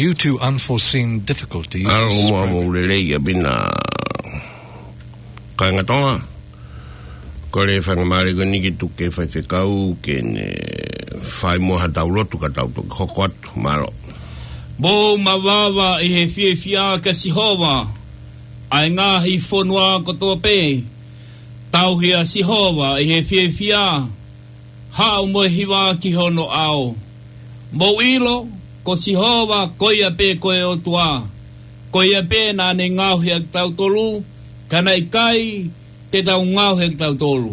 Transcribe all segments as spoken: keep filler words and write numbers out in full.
Due to unforeseen difficulties, ʻAlo mo ʻamu lelei ʻa Pina. Kāinga Tonga. Kole faingamālie ko eni ke tuku e faifekau ke ne fai muʻa haʻatau lotu ka tau toki hoko atu. Mālō. Mou mavava ʻi he fiefia kia Sihova, ʻa e ngaahi fonua kotoa pē. Tauhi ʻa Sihova ʻi he fiefia, haʻu mo e hiva ki hono ʻao. Mou ʻilo, ko Sihova, ko ia pē ko e ʻOtua. Ko ia pē naʻa ne ngaohi ʻa kitautolu, ka naʻe ʻikai te tau ngaohi ʻa kitautolu.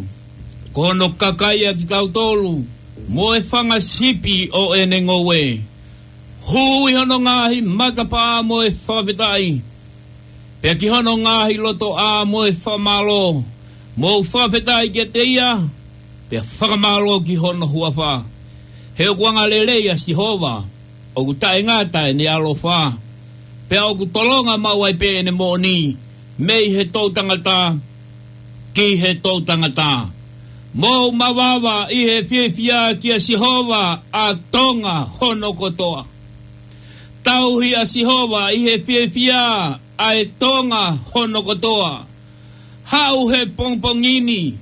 Ko hono kakai ʻa kitautolu, mo e fanga sipi ʻo ʻene ngoue. Hū ʻi hono ngaahi matapā mo e fakafetaʻi, pea ki hono ngaahi lotoʻā mo e fakamālō. Mou fakafetaʻi kiate ia, pea fakamālō ki hono huafa. He ʻoku angalelei ʻa Sihova, ʻoku taʻengata ʻene ʻaloʻofa, pea ʻoku tolonga maʻu ai pē ʻene moʻoni, mei he toʻutangata ki he toʻutangata. Mou mavava ʻi he fiefia kia Sihova, ʻa Tonga hono kotoa. Tauhi ʻa Sihova ʻi he fiefia, ʻa e Tonga hono kotoa. Haʻu he pongipongi ni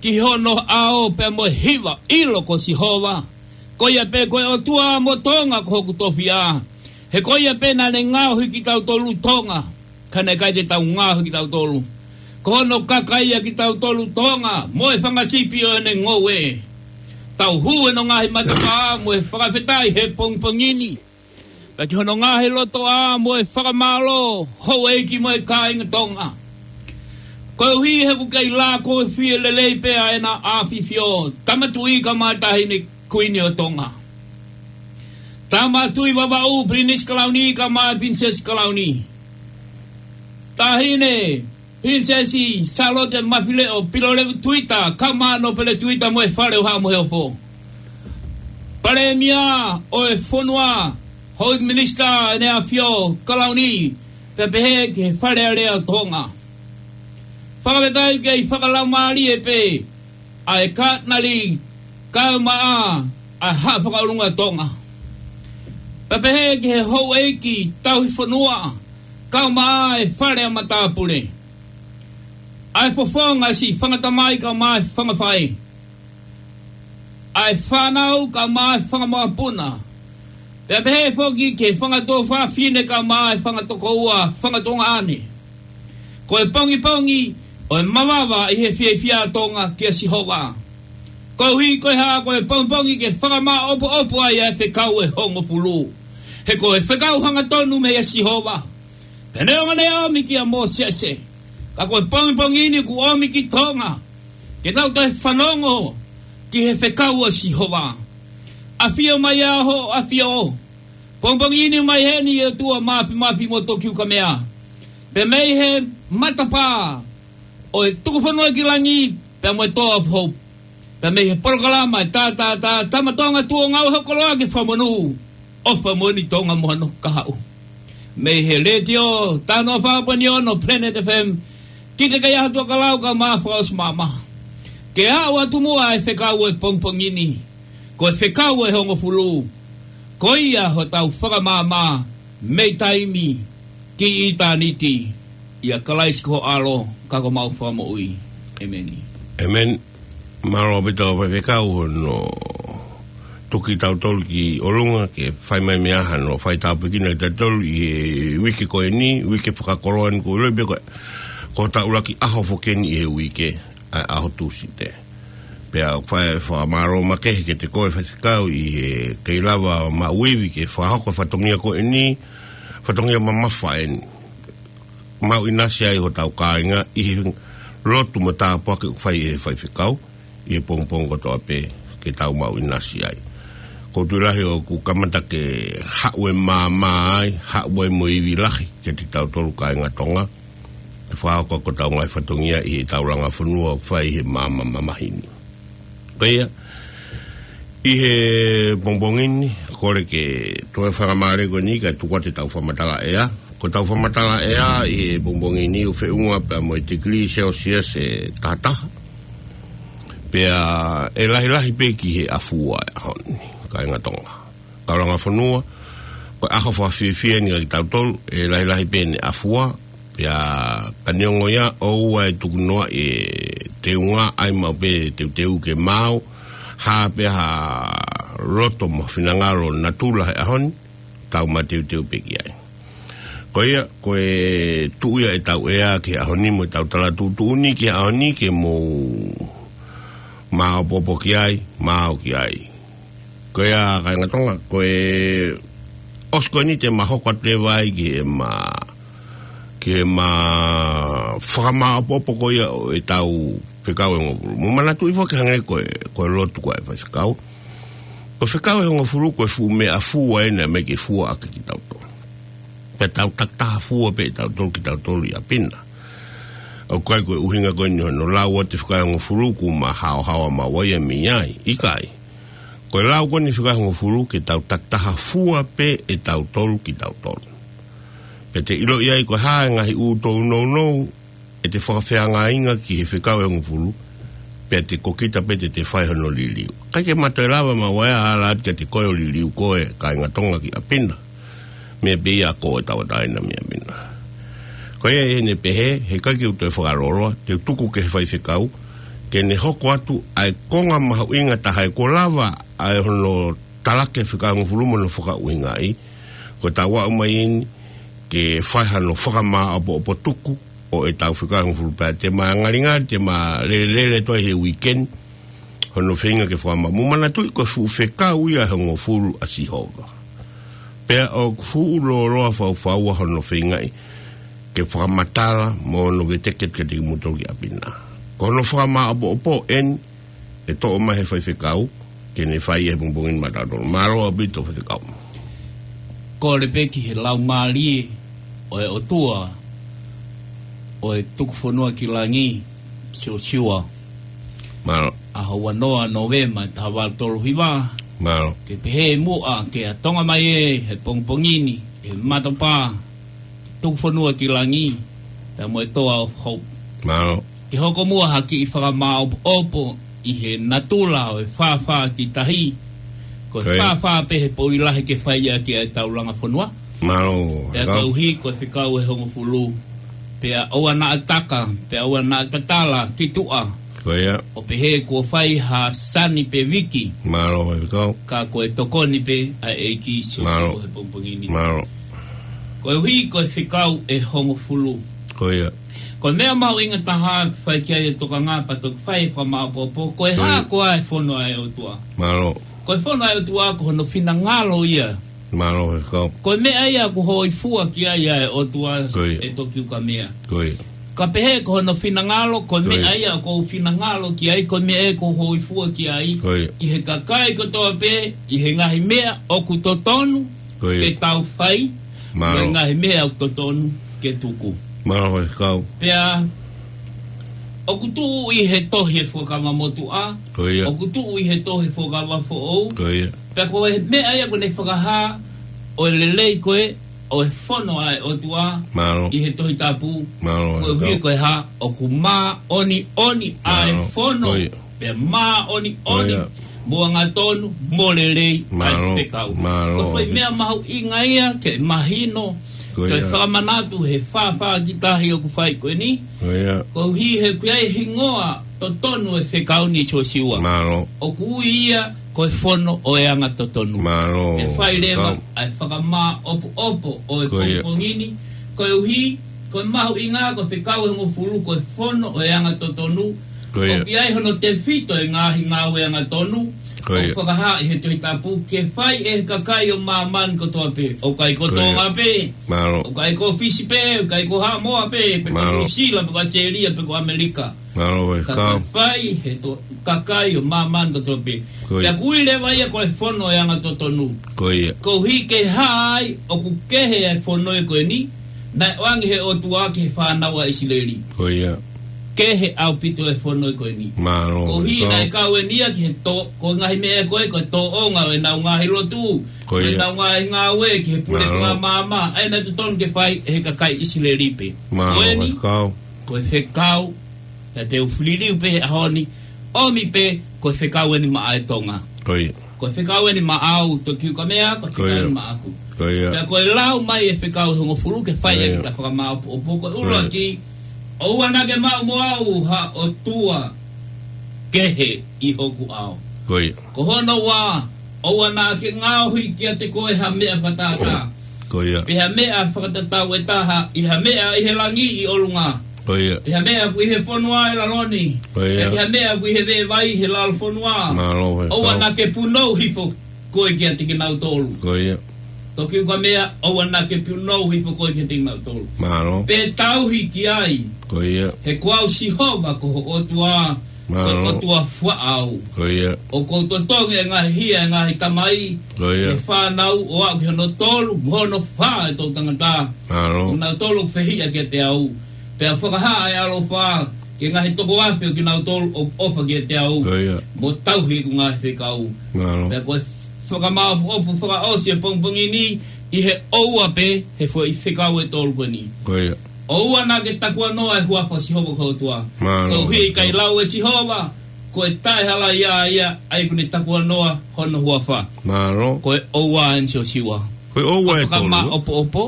ki hono ʻao pea mo e hiva, ʻilo ko Sihova. Ko ia pē ko e ʻOtua, mo Tonga ko hoku tofiʻa. He ko ia pē naʻa ne ngaohi kitautolu Tonga, ka naʻe ʻikai te tau ngaohi kitautolu. Ko hono kakai ʻa kitautolu Tonga, mo e fanga sipi ʻo ʻene ngoue. Tau hū ʻi hono ngaahi matapā mo e fakafetaʻi he pongipongi ni, pea ki hono ngaahi lotoʻā mo e fakamālō, houʻeiki mo e kāinga Tonga. Koeʻuhi he ʻoku kei lākofi lelei pē ʻa ʻEna ʻAfifio, Tama Tuʻi kae ʻumaʻā Taʻahine Kuini ʻo Tonga. Tama Tuʻi Vavaʻu, Pilinisi Kalauni kae ʻumaʻā Pilinisesi Kalauni. Taʻahine Pilinisesi Sālote Mafileʻo Pilolevu Tuita, kae ʻumaʻā Nōpele Tuita mo e Fale ʻo Haʻa Moheofo. Palēmia ʻo e fonua, Houʻeiki Minisitā ʻEne ʻAfio Kalauni, pea pehē ki he Fale Alea ʻo Tonga. Fakafetaʻi kei fakalaumālie pē ʻa e Katinali kae ʻumaʻā ʻa e Haʻa Fakaʻolunga Tonga. Pea pehē ki he houʻeiki tauhi fonua, kae ʻumaʻā e Fale ʻa Matāpule. ʻA e fofonga siʻi fanga tamai kae ʻumaʻā e fanga faʻē. ʻA e fānau kae ʻumaʻā e fanga mokopuna. Pea pehē foki ki he fanga tuofāfine kae ʻumaʻā e fanga tokoua, fanga tuongaʻane. Ko e pongipongi ʻo e mavava ʻi he fiefia ʻa Tonga kia Sihova. Koeʻuhi ko e hā? Ko e pongipongi ke fakamāʻopoʻopo ai ʻa e fekau ʻe hongofulu. He ko e fekau hangatonu meia Sihova. Pea neongo naʻe ʻomi kia Mōsese, ka ko e pongipongi ni kuo ʻomi ki Tonga, ke tau toe fanongo ki he fekau ʻa Sihova. ʻAfio mai ā hoʻo ʻAfio. Pongipongi ni mai heni ʻe ʻOtua Māfimafi mo Tokiukamea. Pea mei he matapā ʻo e tukufonua ki langi, pea mo e Toa of Hope. Pea mei he polokalama ʻa e Tātātā, Tama Tonga Tuʻi ʻo Ngāue Hoʻo Koloa ke Fakamonū, ʻofa moʻoni Tonga mo hano kahaʻu. Mei he letiō, Tanoa fā poini ono Planet F M, ki he kei ʻaho tuʻa ka lau kae ʻumaʻā fakaʻosi māmā. Ke aʻu atu muʻa e fekau ʻo e pongipongi ni. Ko e fekau ʻe hongofulu. Ko ia hotau fakamāmā mei taimi ki ʻitāniti, ʻia Kalaisi ko ho ʻAlo, ka ko homau Fakamoʻui. ʻĒmeni. ʻĒmeni. Mālō ʻaupito faifekau hono tuku kitautolu ki ʻolunga ke fai mai meʻa hano fai tāpuekina kitautolu ʻi he uike ko eni, uike fakakoloa ni, ko e ʻilo pē ko e, ko hotau ʻuluaki ʻaho foki eni ʻi he uike, ʻa e ʻaho Tūsite. Pea ʻoku fai e fakamālō makehe kiate koe faifekau ʻi he kei lava maʻu ivi ke fakahoko e fatongia ko eni, fatongia mamafa eni. Maʻu ʻinasi ai hotau kāinga ʻi he lotu mo e tāpuaki ʻoku fai ʻe he faifekau ʻi he pongipongi kotoa pē, ke tau maʻu ʻinasi ai. ʻOku ou tui lahi ʻoku kamata ke haʻu e māmā ai, haʻu ai mo e ivi lahi kiate kitautolu kāinga Tonga, ke fakahoko ʻaki hotau ngaahi fatongia ʻi heʻetau langa fonua ʻoku fai ʻi he maama mamahi ni. Ko ia, ʻi he pongipongi ni, kole ke toe fakamālō ko eni kae tuku atu ʻetau fakamatala ʻea. Ko ʻetau fakamatala ʻea ʻi he pongipongi ni ʻoku feʻunga pea mo e tikilī Celsius ʻe taha taha. Pea ʻe lahilahi pē ki he afua ʻa e ʻaho ni, kāinga Tonga. Kau langa fonua, Ko e ʻaho fakafiefia eni kia kitautolu, ʻe lahilahi pē ʻene ʻafua, pea ka neongo ia ʻoua ʻe tukunoaʻi e teunga, ʻai maʻu pē teuteu ke maau, hā pē ha loto mo finangalo natula he ʻaho ni, tau mateuteu pē ki ai. Ko ia, ko e tuʻu ia ʻetau ʻea ki he ʻaho ni mo ʻetau tala tuʻutuʻuni ki he ʻaho ni ke mou māʻopoʻopo ki ai, maau ki ai. Ko ia, kāinga Tonga, ko e ʻosi ko eni te ma hoko atu e vai ki he ma, ki he ma fakamāʻopoʻopo ko ia ʻo ʻetau fekau ʻe hongofulu. Mo manatuʻi foki hangē ko e, ko e lotu ko ē ʻa e faifekau. Ko e fekau ʻe hongofulu ko e fuʻu meʻa fua ena mai ke fua ʻaki kitautolu. Pea tau takitaha fua pē ʻe tautolu kitautolu ʻi ʻapi na. ʻOku ʻikai ko e ʻuhinga ko eni hono lau ʻo e fekau ʻe hongofulu kuo ma haohaoa maua ia mei ai. ʻIkai. Ko e lau ko eni fekau ʻe hongofulu ke tau takitaha fua pē ʻe tautolu kitautolu. Pea te ʻiloʻi ai ko e hā e ngaahi ʻū tounou ʻe te fakafeangainga ki he fekau ʻe hongofulu, pea te ko kita pē te te fai hono liliu. ʻIkai ke ma toe lava maua ʻe ala atu kiate koe ʻo liliu koe, kāinga Tonga, ki ʻapi na. Meʻa pē ia ko e tauʻatāina mei ʻapi na. Ko ia ʻi heʻene pehē, heʻikai ke u toe fakalōloa, te u tuku ki he faifekau, ke ne hoko atu ʻa e konga mahuʻinga taha ʻe kuo lava ʻa e hono talaki e fekau ʻe hongofulu mo hono fakaʻuhingaʻi, ko e tau aʻu mai eni, ke fai hano fakamāʻopoʻopo tuku ʻo ʻetau fekau ʻe hongofulu pea te ma ngalingali, te ma lelelele toe he weekend, hono feinga ke fakama-, mo manatuʻi ko e fuʻu fekau ia ʻe hongofulu ʻa Sihova. Pea ʻoku fuʻu lōloa faufaua hono feingaʻi ke fakamatala mo hono veteki kiate kimoutolu ki ʻapi na. Ko hono fakamāʻopoʻopo eni ʻe toʻo mai he faifekau, ke ne fai ʻi he pongipongi ni maʻatautolu. Mālō ʻaupito faifekau. Kole pē ki he laumālie ʻo e ʻOtua ʻo e tuku fonua ki langi, Siosiua. Mālō. ʻAho ua noa Nōvema taha valu tolu hiva. Mālō. Ke pehē muʻa ke ʻatonga mai ē he pongipongi ni, he matapā, tuku fonua ki langi, pea mo e Toa of Hope. Mālō. Ke hoko muʻa ha kiʻi fakamāʻopoʻopo ʻi he natula ʻo e fāfā ki tahi. Ko e Ko ia. fāfā pē he poʻuli lahi ke fai ʻaki ʻa e taulanga fonua. Mālō, Pea Kau. koeʻuhi ko e fekau ʻe hongofulu. Pea ʻoua naʻa taka, pea ʻoua naʻa tatala ki tuʻa. Ko ia. ʻO pehē kuo fai ha sani pe viki. Mālō, Kau. Ka ko e tokoni pē ʻa e ʻEiki Sīsū Mālō. he pongipongi ni. Mālō. Koeʻuhi ko e fekau ʻe hongofulu. Ko ia. Ko e meʻa mahuʻinga taha ke fai ki ai e tokanga pea toki fai e fakamāʻopoʻopo, ko e Ko hā ia. koā e fono ʻa e ʻOtua. Mālō. Ko e fono ʻa e ʻOtua ko hono finangalo ia. Mālō, Kau. Ko e meʻa ia ʻoku hōifua ki ai ʻa e ʻOtua Ko ia. ʻe Tokiukamea. Ko ia. Ka pehē ko hono finangalo, ko e Ko ia. meʻa ia ʻoku ou finangalo ki ai, ko e meʻa ia ʻoku ou hōifua ki ai. Ko ia. Ki he kakai kotoa pē, ʻi he ngaahi meʻa ʻoku totonu Ko ia. ke tau fai, Mālō. mo e ngaahi meʻa ʻoku totonu ke tuku. Mālō, Faifekau. Pea, ʻoku tuʻu ʻi he tohi ʻo e Fuakava Motuʻa, Ko ia. ʻoku tuʻu ʻi he tohi ʻo e Fuakava Foʻou, Ko ia. pea ko e meʻa ia ʻoku ne fakahā ʻo e lelei ko ē ʻo e fono ʻa e ʻOtua Mālō. ʻi he Tohi Tapu, Mālō, Faifekau. koeʻuhi ko e hā, ʻoku māʻoniʻoni ʻa e Mālō. fono, Ko ia. pea māʻoniʻoni, Ko ia. mo angatonu, mo lelei ʻa e Mālō, fekau. mālō. Ko e foʻi meʻa mahuʻinga ia ke mahino, Ko ke ia. fakamanatu he fāfā ki tahi ʻoku fai ko eni. Ko ia. Koeʻuhi he ʻoku ʻi ai e hingoa totonu e fekau ni, Siosiua. Mālō. ʻOku ui ia ko e fono ʻo e anga totonu. Mālō. Ke fai leva Faifekau. ʻa e fakamāʻopoʻopo ʻo e Ko ia. pongipongi ni. Koeʻuhi, ko e mahuʻinga, ko e fekau ʻe hongofulu, ko e fono ʻo e anga totonu. Ko ia. ʻOku ʻi ai hono tefito e ngaahi ngāue angatonu. Ko ia. ʻOku fakahā ʻi he Tohi Tapu, ke fai ʻe he kakai ʻo māmani kotoa pē. ʻOku ʻikai ko Ko ia. Tonga pē. Mālō. ʻOku ʻikai ko Fisi pē, ʻoku ʻikai ko Haʻamoa pē, pe ko Mālō. Nuʻu Sila, pe ko ʻAositelēlia, pe ko ʻAmelika. Mālō, Faifekau. Ka ke fai he to-, kakai ʻo māmani kotoa pē. Ko ia. Pea ʻoku ui leva ia ko e fono ʻo e anga totonu. Ko ia. Koeʻuhi ke hā ai ʻoku kehe ʻa e fono ko eni, naʻe ʻoange ʻe he ʻOtua ki he fānau ʻa ʻIsileli. Ko ia. Kehe ʻaupito e fono ko eni. Mālō, Koeʻuhi Faifekau. naʻe kau eni ia ki he tō-, ko e ngaahi meʻa ko ē, ko e tōʻonga ʻo ʻenau ngaahi lotu, Ko ʻo ia. ʻenau ngaahi ngāue ki he pule Mālō. ko ē maama, ʻa ia naʻe totonu ke fai ʻe he kakai ʻIsileli pē. Mālō, Ko eni, Faifekau. ko e fekau, naʻa te u liliu pē he ʻaho ni, ʻomi pē, ko e fekau eni maʻa e Tonga. Ko ia. Ko e fekau eni maʻau, Tokiukamea, ko e fekau eni maʻaku. Ko ia. Pea ko e lau mai e fekau ʻe hongofulu ke fai ʻaki ʻeta fakamaʻopoʻopo, ko e ʻuluaki, ʻoua naʻa ke maʻu mo au ha ʻotua kehe ʻi hoku ʻao. Ko ia. Ko hono ua, ʻoua naʻa ke ngaohi kiate koe ha meʻa fakatātā. Ko ia. Pe ha meʻa fakatatau ʻe taha, ʻi ha meʻa ʻi he langi ʻi ʻolunga. Ko ia. Pe ha meʻa ʻoku ʻi he fonua ʻi lalo ni. Ko ia. Pe ha meʻa ʻoku ʻi he veʻe vai he lalo fonua. Mālō, ʻoua naʻa ke punou hifo koe kiate kinautolu. Ko ia. Tokiukamea, ʻoua naʻa ke punou hifo koe kiate kinautolu. Mālō. Pe tauhi ki ai. Ko ia. He ko au Sihova ko ho ʻOtua, ko e ʻOtua faʻa au. Ko ia. ʻOku ou totongi e ngaahi hia e ngaahi tamai, ko ia, e fānau ʻo aʻu ki hono tolu, mo hono fā e toʻutangata. Mālō. Ko kinautolu ʻoku fehiʻa kiate au. Pea fakahā e ʻaloʻofa ki he ngaahi toko afe ʻo kinautolu ʻoku ʻofa kiate au, ko ia, mo tauhi ʻeku ngaahi fekau. Mālō. Pea ko e fakamaʻopoʻopo fakaʻosi e pongipongi ni ʻi he ʻoua pē he foʻi fekau ʻe tolu ko eni. Ko ia. ʻOua naʻa ke takuanoa e huafa ʻo Sihova ko ho ʻOtua. Mālō. Koeʻuhi ʻe ʻikai lau ʻe Sihova, ko e taʻehalaia ia ʻa ia ʻoku ne takuanoa hono huafa. Mālō. Ko e ʻoua eni Siosiua. Ko e ʻoua ʻe tolu. Fakamaʻopoʻopo.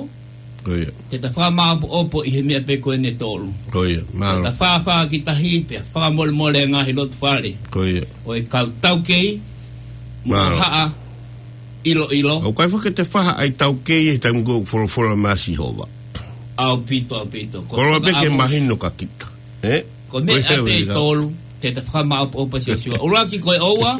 Ko ia. Ke ta fakamaʻopoʻopo ʻi he meʻa pē ko eni ʻe tolu. Ko ia. Mālō. Ke ta fāfā ki tahi pea fakamolemole e ngaahi loto fale. Ko ia. ʻO e kau taukei, mo e haʻa ʻiloʻilo. ʻOku ʻikai foki ke te faha ai taukei he taimi ko ē ʻoku folofola mai ʻa Sihova. ʻAupito, ʻaupito. Ko e koloa pē ke mahino kia kita. Ē? Ko e meʻa pē ʻe tolu, ke ta fakamaʻopoʻopo Siosiua. ʻUluaki ko e ʻoua,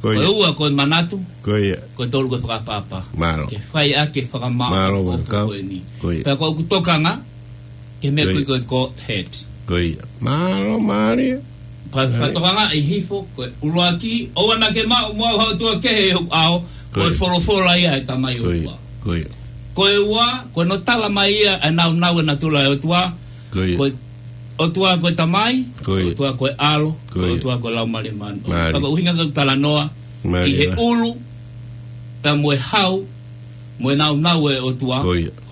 ko e ua ko e manatu, ko e tolu ko e fakaʻapaʻapa. Mālō. Ke fai ʻaki e fakamaʻopoʻopo ko eni. Ko ia. Pea ko ʻeku tokanga, ke meʻa ko e ko e Godhead. Ko ia. Mālō, mālie. Pea fakatokangaʻi hifo, ko e ʻuluaki, ʻoua naʻa ke maʻu mo au ha ʻotua kehe ʻi hoku ʻao, ko e folofola ia ʻa e Tamai ʻOtua. Ko ia. Ko e ua, ko hono tala mai ia ʻa e nāunau e natula ʻo e ʻOtua, ko e ʻOtua ko e Tamai, ko e ʻOtua ko e ʻAlo, ko e ʻOtua ko e Laumālie Māʻoniʻoni. Pea ko e ʻuhinga ke u talanoa ki he ʻulu, pea mo e hau, mo e nāunau e ʻOtua,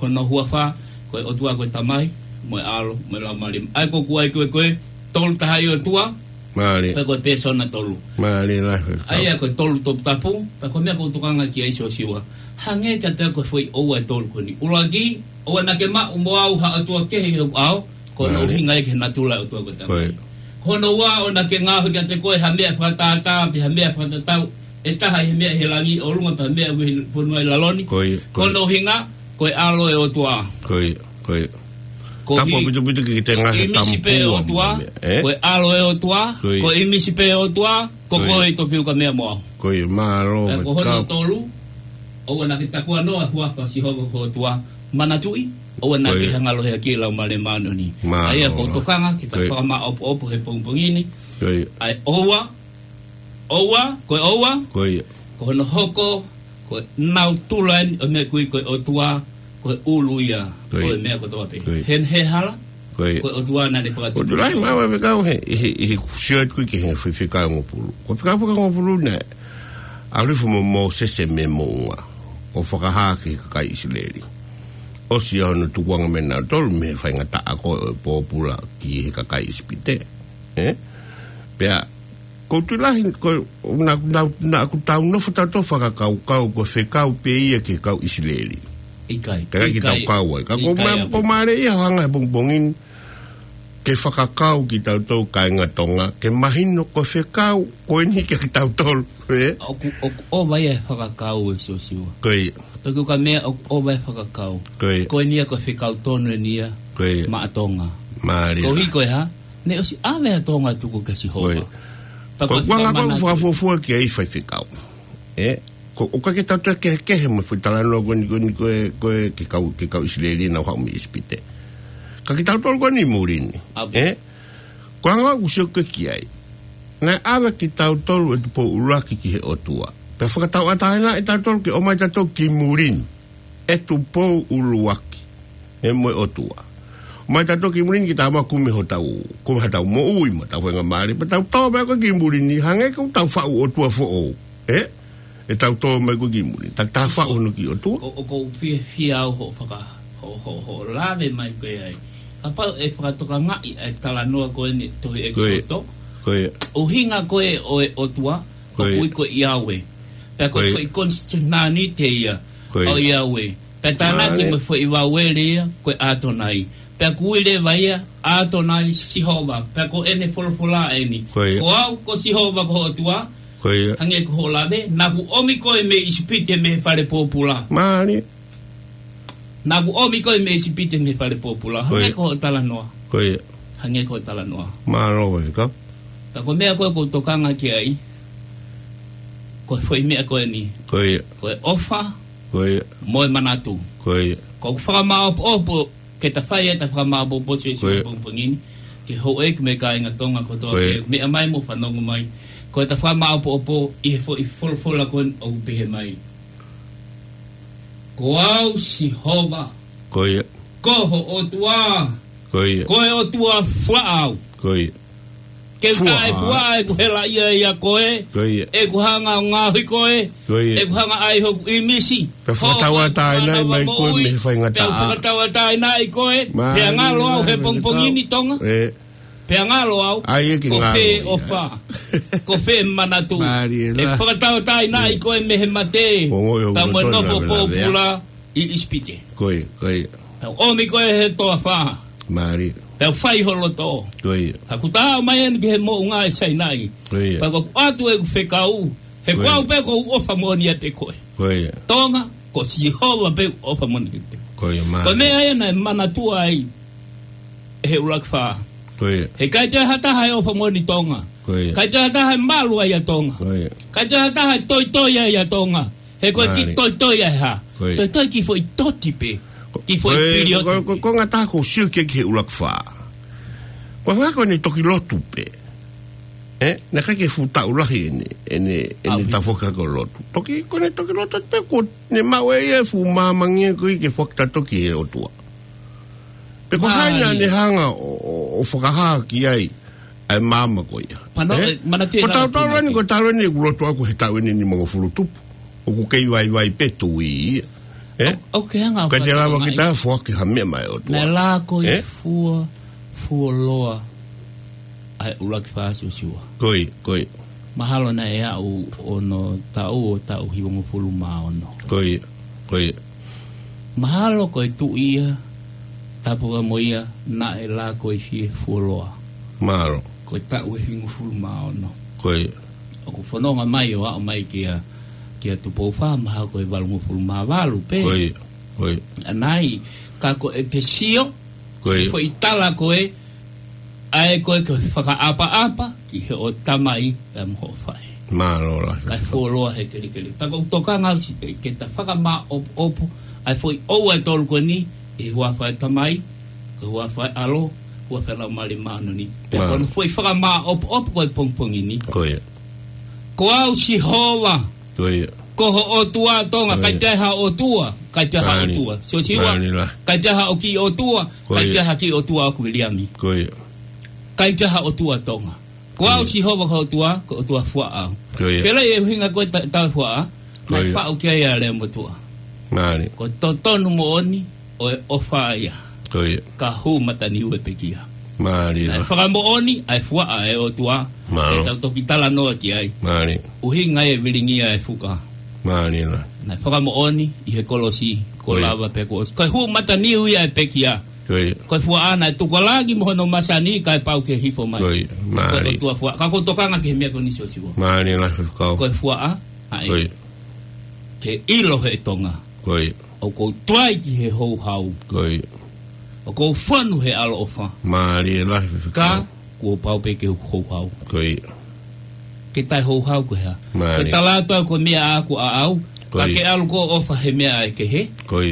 hono huafa, ko e ʻOtua ko e Tamai, mo e ʻAlo, mo e Laumālie. ʻA ia ko ʻeku ʻai ko e, ko e tolu tahaʻi ʻOtua, pea ko e pēsona tolu. Mālie lahi. ʻA ia ko e tolu toputapu, pea ko e meʻa ʻoku ou tokanga ki ai Siosiua. Hangē kiate au ko e foʻi ʻoua ʻe tolu ko eni. ʻUluaki, ʻoua naʻa ke maʻu mo au ha ʻotua kehe ʻi hoku ʻao, ko hono ʻuhinga ia ki he natula e ʻOtua ko e Tamai. Ko hono ua, ʻoua naʻa ke ngaohi kiate koe ha meʻa fakatātā, pe ha meʻa fakatatau ʻe taha ʻi he meʻa ʻi he langi ʻi ʻolunga, pe ha meʻa ʻoku ʻi he fonua ʻi lalo ni. Ko hono ʻuhinga, ko e ʻAlo e ʻOtua. Ko ia, ko ia. Ko e tapu ʻaupito ki he ngaahi ʻīmisi pē e ʻOtua, ko e ʻAlo e ʻOtua, ko e ʻīmisi pē e ʻOtua, ko koe Tokiukamea mo au. Ko ia, mālō. Pea ko hono tolu, ʻoua naʻa ke takuanoa e huafa ʻo Sihova ko ho ʻOtua. Manatuʻi, ʻoua naʻa ke hanga ʻo lohiakiʻi e Laumālie Māʻoniʻoni. ʻA ia ko ʻeku tokanga ke ta fakamaʻopoʻopo he pongipongi ni. Ko ia. ʻA e ʻoua, ʻoua, ko e ʻoua. Ko ia. Ko hono hoko, ko e natula eni ʻo e meʻa ʻoku ui ko e ʻOtua, ko e ʻulu ia ʻo e meʻa kotoa pē. Ko ia. He naʻe hala, ko e ʻOtua naʻa ne fakatupu. ʻOku lahi maʻu e fekau he, ʻi he, ʻi he sio atu ki he fefeka ngofulu. Ko e fekau faka ngofulu naʻe ʻalu hifo mo Mōsese mei he moʻunga ʻo fakahā ki he kakai ʻIsileli. ʻOsi ia hono tukuange mei he nautolu mei he faingataʻa ko ē ʻo e pōpula ki he kakai ʻIsipite. Ē? Pea, ʻoku ou tui lahi, ko, naʻa, naʻa, naʻa ʻoku tau nofo tautolu fakakaukau, ko e fekau pē ia ki he kau ʻIsileli. ʻIkai. Ka ʻikai ke tau kau ai. Ka ko e meʻa, ko e meʻa ia ʻoku hanga he pongipongi ni, ke fakakau kitautolu kāinga Tonga, ke mahino ko e fekau ko eni kia kitautolu, ē? ʻOku, ʻoku ʻova ia e fakakau ē Siosiua. Ko ia. Tokiukamea ʻoku ʻova e fakakau. Ko ia. Ko eni ia ko e fekau tonu eni ia maʻa Tonga. Mālie. Koeʻuhi ko e hā, naʻe ʻosi ʻave ʻa Tonga ʻo tuku kia Sihova. Ko ia. Pea ko e ʻuhinga ko ʻeku fakafuofua ki ai faifekau. Ē? Ko, ʻoku ʻikai ke tau toe kehekehe mo e foʻi talanoa ko eni, ko eni, ko e, ko e, ki he kau, ki he kau ʻIsileli naʻa nau haʻu mei ʻIsipite. Ka kitautolu ko eni ʻi muli ni. ʻAve. Ē? Ko e anga ʻoku ou sio ki ai. Naʻe ʻave kitautolu ʻe Tupou ʻUluaki ki he ʻOtua. Pea fakatauʻatāinaʻi kitautolu ke ʻomai kitautolu ki muli ni ʻe Tupou ʻUluaki, ē, mo e ʻOtua. ʻOmai kitautolu ki muli ni ke tau kumi hotau, kumi hotau moʻui mo hotau faingamālie, pea tau tō mai ko ē ki muli ni, hangē ko ʻetau faʻu ʻotua foʻou. Ē? ʻEtau tō mai ko ē ki muli ni, ta, ta faʻu hono kiʻi ʻotua. ʻOku, ʻoku ou fiefia au hoʻo faka-, hoʻo, hoʻo, hoʻo lave mai ko ē ai. Kapau ʻe fakatokangaʻi ʻa e talanoa ko eni tohi ʻEkisoto. Ko ia. ʻUhinga ko ē ʻo e ʻOtua, ʻOku ui ko Iaue. Pea ko e foʻi konisitūtone ia ʻo Iaue. Pea tānaki mo e foʻi vaueli ia ko e ʻAtonai. Pea ʻoku ui leva ia ʻAtonai Sihova. Pea ko ʻene folofola eni. Ko au ko Sihova ko ho ʻOtua. Hangē ko hoʻo lave, naʻa ku ʻomi koe mei ʻIsipite mei he fale pōpula. Naʻa ku ʻomi koe mei ʻIsipite mei he fale pōpula. Hangē ko hoʻo talanoa. Hangē ko hoʻo talanoa. Ka ko e meʻa ko ē ʻoku ou tokanga ki ai, ko e foʻi meʻa ko eni. Ko e ʻofa mo e manatu. ʻOku ou fakamāʻopoʻopo ke ta fai ʻeta fakamāʻopoʻopo ʻi he pongipongi ni, ki he houʻeiki mo e kāinga Tonga kotoa pē, meʻa mai mo fanongo mai. Ko ʻeta fakamāʻopoʻopo ʻi he foʻi folofola ko eni ʻoku pehē mai: Ko au Sihova, ko ho ʻOtua, ko e ʻOtua fuaʻa au. Ke u taʻefuaʻa ʻeku helaʻia ʻia koe, ʻeku hanga ʻo ngaohi koe, ʻeku hanga ʻai hoku ʻīmisi, pea fakatauʻatāinaʻi mai koe mei he faingataʻa. Pea u fakatauʻatāinaʻi koe, pea ngalo au he pongipongi ni, Tonga. Pea ngalo au, ko fē ʻofa, ko fē manatu. ʻEku fakatauʻatāinaʻi koe mei he mate, pea mo e nofo pōpula ʻi ʻIsipite. Pea u ʻomi koe he toafa, pea u fai ho loto. Pea kuo ta aʻu mai eni ki he moʻunga ʻi Sainai. Pea kuo u ʻoatu ʻeku fekau, he ko au pē ʻoku ou ʻofa moʻoni ʻiate koe. Tonga, ko Sihova pē ʻoku ʻofa moʻoni ʻiate koe. Ko e meʻa ia naʻe manatua ai ʻe he ʻuluaki fā. He ʻikai toe ha taha ʻe ʻofa moʻoni Tonga. ʻIkai toe ha taha ʻe malu ai ʻa Tonga. ʻIkai toe ha taha ʻe toitoi ai ʻa Tonga. He ko e kiʻi toitoi ʻa e hā? Toitoi kiʻi foʻi toti pē. Kiʻi foʻi pilioti. Ko e konga taha ʻoku ou sio ki ai ki he ʻuluaki fā, ko e hangē ko ʻene toki lotu pē. Naʻe ʻikai ke fuʻu taʻu lahi ʻene, ʻene, ʻene tafoki ko e lotu. Toki, ko ʻene toki lotu pē, ko ʻene maʻu ʻe ia e fuʻu māmangi ko ē ke fakatau ki he ʻOtua. Pe ko hai naʻa ne hanga ʻo, ʻo, ʻo fakahā ki ai ʻa e maama ko ia. Ko e tautau eni, ko e talu eni ʻeku lotu ʻaʻaku he taʻu eni nimangofulu tupu. ʻOku kei vaivai pē tui ia. ʻIkai te lava ke ta foaki ha meʻa maʻa e ʻOtua. Naʻe lako ʻi fua, fuoloa ʻa e ʻuluaki fā Siosiua. Mahalo naʻe aʻu ʻo e taʻu ʻo e taʻu hivangofulu mā ono. Mahalo ko e tuʻi ia, tapu mo ia, naʻe lako ʻi fie fuoloa. Ko e taʻu ʻe hivangofulu mā ono. ʻOku fononga mai ʻo aʻu mai kia, kia Tupou Fā, mahalo ko e valungofulu mā valu pē. ʻAnai, ka ko e ke sio, foʻi tala ko ē, ʻa ē ko ē ke fakaʻapaʻapa ki hoʻo tamai pea mo hoʻo faʻē. Kae fuoloa he kelekele. Pea ʻoku ou tokanga au siʻi ke ta fakamāʻopoʻopo ʻa e foʻi ʻoua ʻe tolu ko eni, ʻi he huafa ʻo e Tamai, ko e huafa ʻo e ʻAlo, huafa ʻo e Laumālie Māʻoniʻoni. Pea ko hono foʻi fakamāʻopoʻopo ko e pongipongi ni. Ko au Sihova, ko ho ʻOtua Tonga, ʻikai toe ha ʻOtua, ʻikai toe ha ʻOtua Siosiua, ʻikai toe ha kiʻi ʻOtua, ʻikai toe ha kiʻi ʻOtua ʻo Viliami. ʻIkai toe ha ʻOtua Tonga. Ko au Sihova ko ho ʻOtua, ko e ʻOtua fuaʻa au. Ke lea ʻi he ʻuhinga ko e ta-, taʻefuaʻa, naʻe faʻu ki ai ʻa e lea motuʻa. Ko e totonu moʻoni ʻo e ʻofa ia, ka hū mataniu e pekia. Naʻe fakamoʻoni ʻa e fuaʻa ʻa e ʻOtua, ke tau toki talanoa ki ai. ʻUhinga e vilingia e fuka. Naʻe fakamoʻoni ʻi he kolosi, kuo lava pē kuo ʻosi. Ko e hū mataniu ia e pekia. Ko e fuaʻa naʻe tuku ʻa langi mo hono masani kae pau ke hifo mai. Ko e ʻOtua fuaʻa. Ka ʻoku ou tokanga ki he meʻa ko eni Siosiua. Ko e fuaʻa, ʻa ē. Ke ʻilo he Tonga. ʻOku ou tuai ki he houhau. ʻOku ou fonu he ʻaloʻofa. Ka, kuo pau pē ke u houhau. Ke taʻe houhau ko e hā? Ke tala atu au ko e meʻa ʻaʻaku ʻaʻau. Ka ke ʻalu koe ʻo ʻofa he meʻa ʻa e kehe.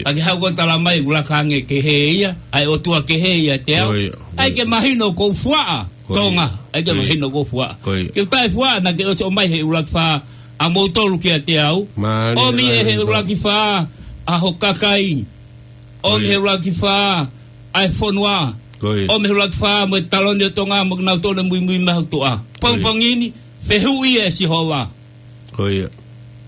Ka ke haʻu koe ʻo tala mai ʻoku laka ange kehe ia, ʻa e ʻOtua kehe ia ʻiate au. ʻAi ke mahino ʻoku ou fuaʻa, Tonga. ʻAi ke mahino ʻoku ou fuaʻa. Ke u taʻefuaʻa naʻa ke ʻosi ʻomai he ʻuluaki fā ʻa moutolu kiate au. ʻOmi ʻe he ʻuluaki fā ʻa ho kakai. ʻOmi he ʻuluaki fā ʻa e fonua. ʻOmi he ʻuluaki fā mo e taloni ʻo Tonga mo kinautolu ʻoku muimui mai ho tuʻa. Pongipongi ni, fehuʻi ʻe Sihova.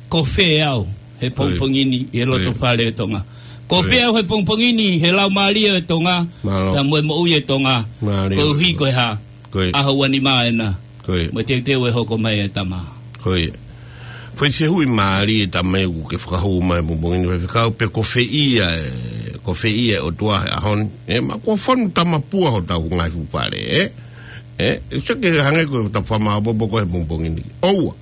Ko fē au he pongipongi ni ʻi he loto fale ʻo Tonga? Ko fē au he pongipongi ni he laumālie ʻo Tonga? Pea mo e moʻui ʻo Tonga. Koeʻuhi ko e hā? ʻAho ua nima ena. Mo e teuteu ʻe hoko mai e tama. Foʻi fehuʻi mālie e tama ē ʻoku ke fakahū mai he pongipongi ni, Faifekau, pe ko fē ia, ē, ko fē ia e ʻOtua he ʻaho ni. Ē, ma ko fonu tamapua hotau ngaahi fuʻu fale, ē? Ē, ʻe sio ke hangē ko e tau fakamaopoopo ko ē he pongipongi ni. ʻOua.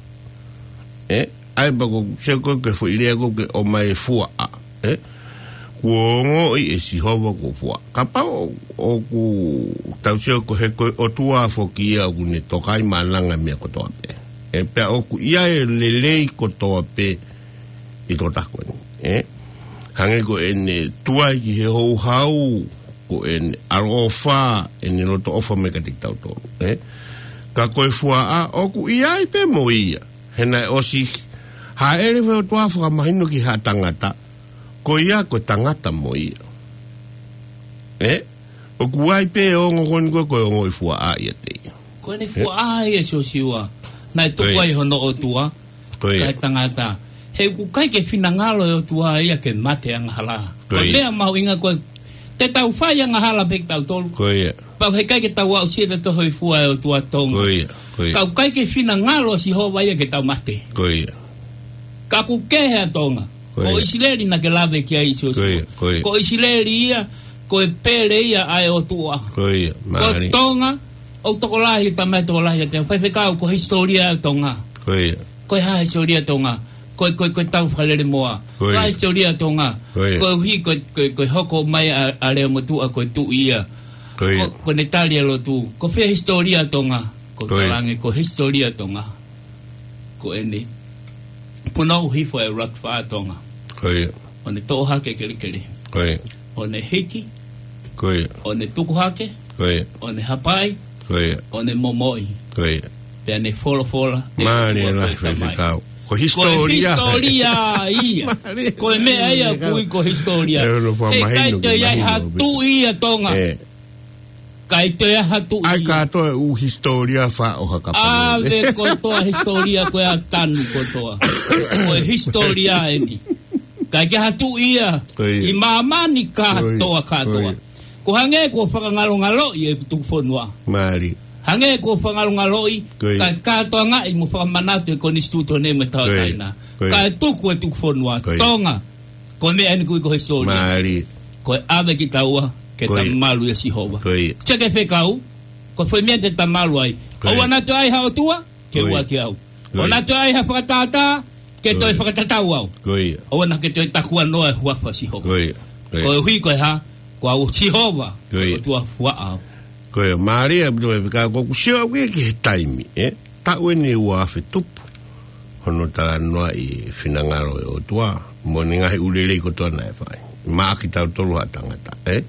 Ē, ʻai pē ko, sio ko e foʻi lea ko ē ke ʻomai e fuaʻa. Ē? Kuo ongoʻi ʻe Sihova kuo fuaʻa. Kapau ʻoku tau sio ko e he ko e ʻOtua foki ia ʻoku ne tokai maʻananga meʻa kotoa pē. Ē, pea ʻoku ʻi ai e lelei kotoa pē ʻi he tokotaha ko eni. Ē? Hangē ko ʻene tuai ki he houhau, ko ʻene ʻaloʻofa, ʻene loto ʻofa mai kiate kitautolu. Ē? Ka ko e fuaʻa, ʻoku ʻi ai pē mo ia. He naʻe ʻosi hāʻele fai ʻOtua fakamahino ki ha tangata, ko ia ko e tangata mo ia. Ē? ʻOku ʻi ai pē ongo ko eni ko e, ko e ongoʻi fuaʻa ʻiate ia. Ko ʻene fuaʻa ia Siosiua. Naʻe tuku ai hono ʻOtua. Ko ia. Kae tangata. He ʻoku ʻikai ke finangalo e ʻOtua ia ke mate angahala. Ko ia. Ko e meʻa mahuʻinga ko e, te tau fai angahala pē kitautolu. Ko ia. Pea heʻikai ke tau aʻusia ʻe tautolu e hōifua ʻa e ʻOtua Tonga. Ko ia, ko ia. Ka ʻoku ʻikai ke finangalo ʻa Sihova ia ke tau mate. Ko ia. Ka ʻoku kehe ʻa Tonga. Ko ia. Ko ʻIsileli naʻa ke lave ki ai Siosiua. Ko ia, ko ia. Ko ʻIsileli ia, ko e pele ia ʻa e ʻOtua. Ko ia, ko mālie. Tonga, ʻoku tokolahi, tama ē tokolahi ʻiate au. Faifekau, ko e hisitōlia ʻa Tonga. Ko ia. Ko e hā hisitōlia ʻa Tonga? Ko e, ko e, ko e tau fakalele moa. Ko ia. Ko e hā hisitōlia ʻa Tonga? Ko ia. Koeʻuhi, ko e, ko e, ko e hoko mai ʻa, ʻa Leomotuʻa, ko e tuʻi ia. Ko ia. Ko, ko ʻene tali ʻa e lotu. Ko fē hisitōlia ʻa Tonga? Ko ia. Ko e talange, ko e hisitōlia ʻa Tonga. Ko ʻene punou hifo e ʻuluaki fā ʻa Tonga. Ko ia. ʻO ne toʻo hake e kelekele. Ko ia. ʻO ne hiki. Ko ia. ʻO ne tuku hake. Ko ia. ʻO ne hapai. Ko ia. ʻO ne momoʻi. Ko ia. Pea ne folofola, ʻe Mālie ʻOtua lahi ko e Tamai. Faifekau. Ko e hisitōlia. Ko e hisitōlia ia. Mālie. Ko e meʻa ia Faifekau. Kui ko e hisitōlia. ʻE ono fua mahino, mahino. He ʻikai toe ʻi ai ha tuʻi ia Tonga. ʻE. ʻIkai toe ʻi ai ha tuʻi ia. ʻAi kātoa e ʻū hisitōlia faʻo ha kapau. ʻAve kotoa hisitōlia ko ē ʻa tanu kotoa. Ko e hisitōlia eni. ʻIkai ke ʻi ai ha tuʻi ia. Ko ia. ʻI māmani kātoa, ko ia, kātoa. Ko ia. Ko e hangē kuo fakangalongaloʻi e tuku fonua. Mālie. Hangē kuo fakangalongaloʻi, ko ia, ka, kātoangaʻi mo fakamanatu e konisitūtone mo e tauʻatāina. Ko ia. Ko ia. Kae tuku e tuku fonua. Ko ia. Tonga. Ko e meʻa eni kui ko e hisitōlia. Mālie. Ko e ʻave kitaua ke, ko ia, tau malu ʻia Sihova. Ko ia. Sio ki he Faifekau, ko e foʻi meʻa te tau malu ai. Ko ia. ʻOua naʻa toe ʻi ai ha ʻOtua, ke, ko ia, ua ki au. Ko ia. ʻOua naʻa toe ʻi ai ha fakatātā, ke, ko ia, toe fakatatau au. Ko ia. ʻOua naʻa ke toe takuanoa e huafa ʻo Sihova. Ko ia. Ko ia. Koeʻuhi ko e hā? Ko au ʻa Sihova, ko ia, ʻOtua fuaʻa au. Ko ia, mālie ʻaupito Faifekau, ko ʻeku sio au ki he taimi, ē? Taʻu eni ʻe ua afe tupu hono talanoaʻi e finangalo e ʻOtua, mo ʻene ngaahi ʻū lelei kotoa naʻe fai. Maʻa kitautolu ha tangata, ē?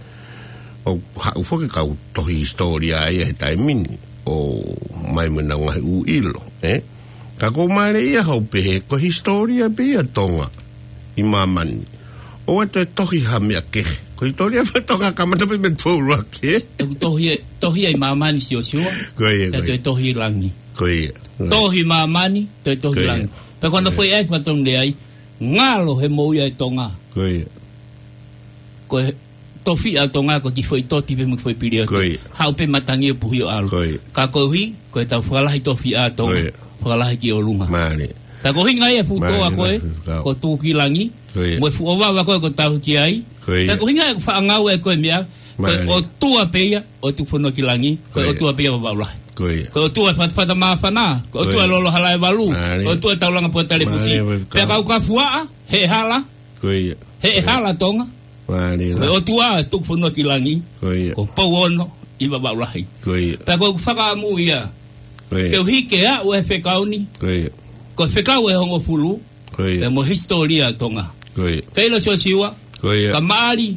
ʻOku haʻu foki e kau tohi hisitōlia ia he taimi ni, ʻo mai mo ʻenau ngaahi ʻū ʻilo, ē? Ka ʻoku mālie ia hoʻo pehē, ko e hisitōlia pē ia ʻa Tonga ʻi māmani. ʻOua toe tohi ha meʻa kehe. Ko e hisitōlia pē ʻa Tonga kamata pē mei he Tupou ʻUluaki, ē? ʻOku tohi, tohi ia ʻi māmani Siosiua. Ko ia, ko ia. Pea toe tohi ʻi langi. Ko ia. Tohi māmani, toe tohi, ko ia, langi. Pea ko hono, ko ia, foʻi ʻai fakatonu lea ai, ngalo he moʻui ʻa e Tonga. Ko ia. Ko e tofiʻa ʻa Tonga ko e kiʻi foʻi toti pē mo e kiʻi foʻi pilioti. Ko ia. Haʻu pē matangi ʻo puhi ʻo ʻalu. Ko ia. Ka koeʻuhi ko ʻetau fakalahi tofiʻa ʻa Tonga. Ko ia. Fakalahi ki ʻolunga. Mālie. Pea ko e ʻuhinga ia e fuʻu toa, mālie, ko ē, mālie, Faifekau, ko e tuʻu ki langi. Ko ia. Mo e fuʻu ʻovava ko ē ko e tauhi ki ai. Ko ia. Pea ko e ʻuhinga e faʻa ngāue ko e meʻa, ko e, mālie, ʻOtua pē ia ʻo e tuku fonua ki langi, ko e, ko ia, ʻOtua pē ia ʻo Vavaʻu Lahi. Ko ia. Ko e ʻOtua e Fata, Fata Māfana, ko e, ko ia, ʻOtua e Lolo Halaevalu, mālie, ko e ʻOtua e Taulanga Poa Talefusi. Mālie, Faifekau. Pea kapau ʻe fuaʻa, heʻe hala. Ko ia. Heʻe, ko ia, hala Tonga. Mālie. Ko e ʻOtua e tuku fonua ki langi. Ko ia. Ko Pouono ʻi Vavaʻu Lahi. Ko ia. Pea ko ʻeku fakaʻamu ia. Ko ia. Koeʻuhi ke aʻu e fekau ni. Ko ia. Ko e fekau ʻe hongofulu. Ko ia. Pea mo e hisitōlia ʻa Tonga. Ko ia. Ka ʻilo Siosiua. Ko ia. Ka maʻali